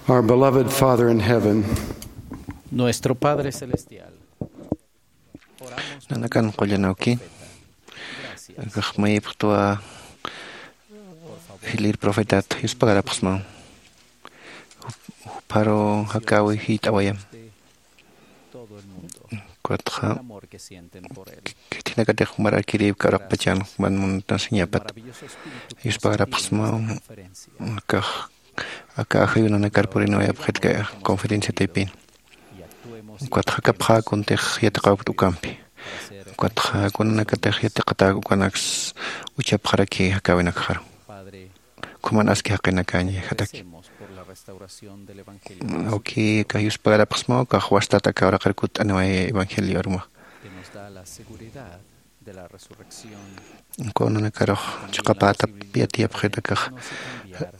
Our beloved Father in heaven, Nuestro Padre Celestial, oramos por Nanakan nuestro qullana profeta. Uki. Gracias. Akax mayipxtwa Por favor, jilir profetat yuspagarapxsmaw. Juparu jakawi jit'awayam. Todo el mundo. Ukatxa El amor que sienten por él. Khitinakatix jumarakiriw karaqpachan juman muntansiñapat. Maravilloso espíritu que Yuspagarapxsmaw. Constituye esta conferencia. Akax aka ajayunanakar purinawayapxit conferencia taypin. Ukatxa jakapxäkuntix yatiqawkta ukampi. Ukatxa kunanakatix yatiqatäk ukanaks uchapxaraki jakäwinakxaru. Ukhaman aski jaqinakañ jataki. Awki aka yuspagarapxsmaw, aka wastat aka uraqir kutt'aniway evangelio aruma. Kunanakarux chiqapätap yatiyapxit akax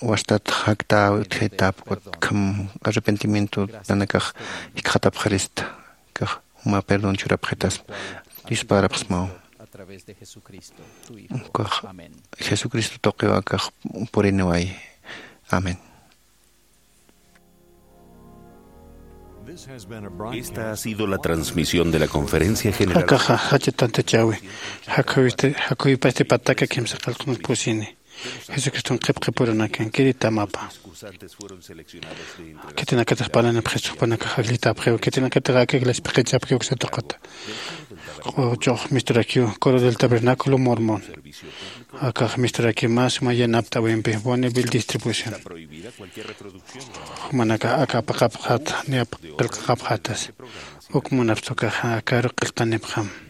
wastat jaktäwi utjitap ukat kham arrepentimiento nanakax jikxatapxirista. Akax juma perdón churapxitaspa. Yuspagarapxsmaw. Ukax Jesucristo tuqiw akax puriniway. Amén. Esta ha sido la transmisión de la Conferencia General. Akaxa jach'a tantachäwi. Jakuypasti pataka kimsa qillqan pusini. Jesucriston qhipqipuranakan kiritamapa. Khitinakatix parlanipxis jupanakax ajllitäpxiw, khitinakatix aka iglesia p'iqichapxiw uksa tuqita. Q'uchux misturakiw, coro del tabernáculo mormón. Akax misturakiw mä suma yanapt'äwimpi Bonneville Distribución. Jumanakax aka apaqapxät, niya qillqaqapxätas. Uk munapxta ukax akaru qillqanipxam.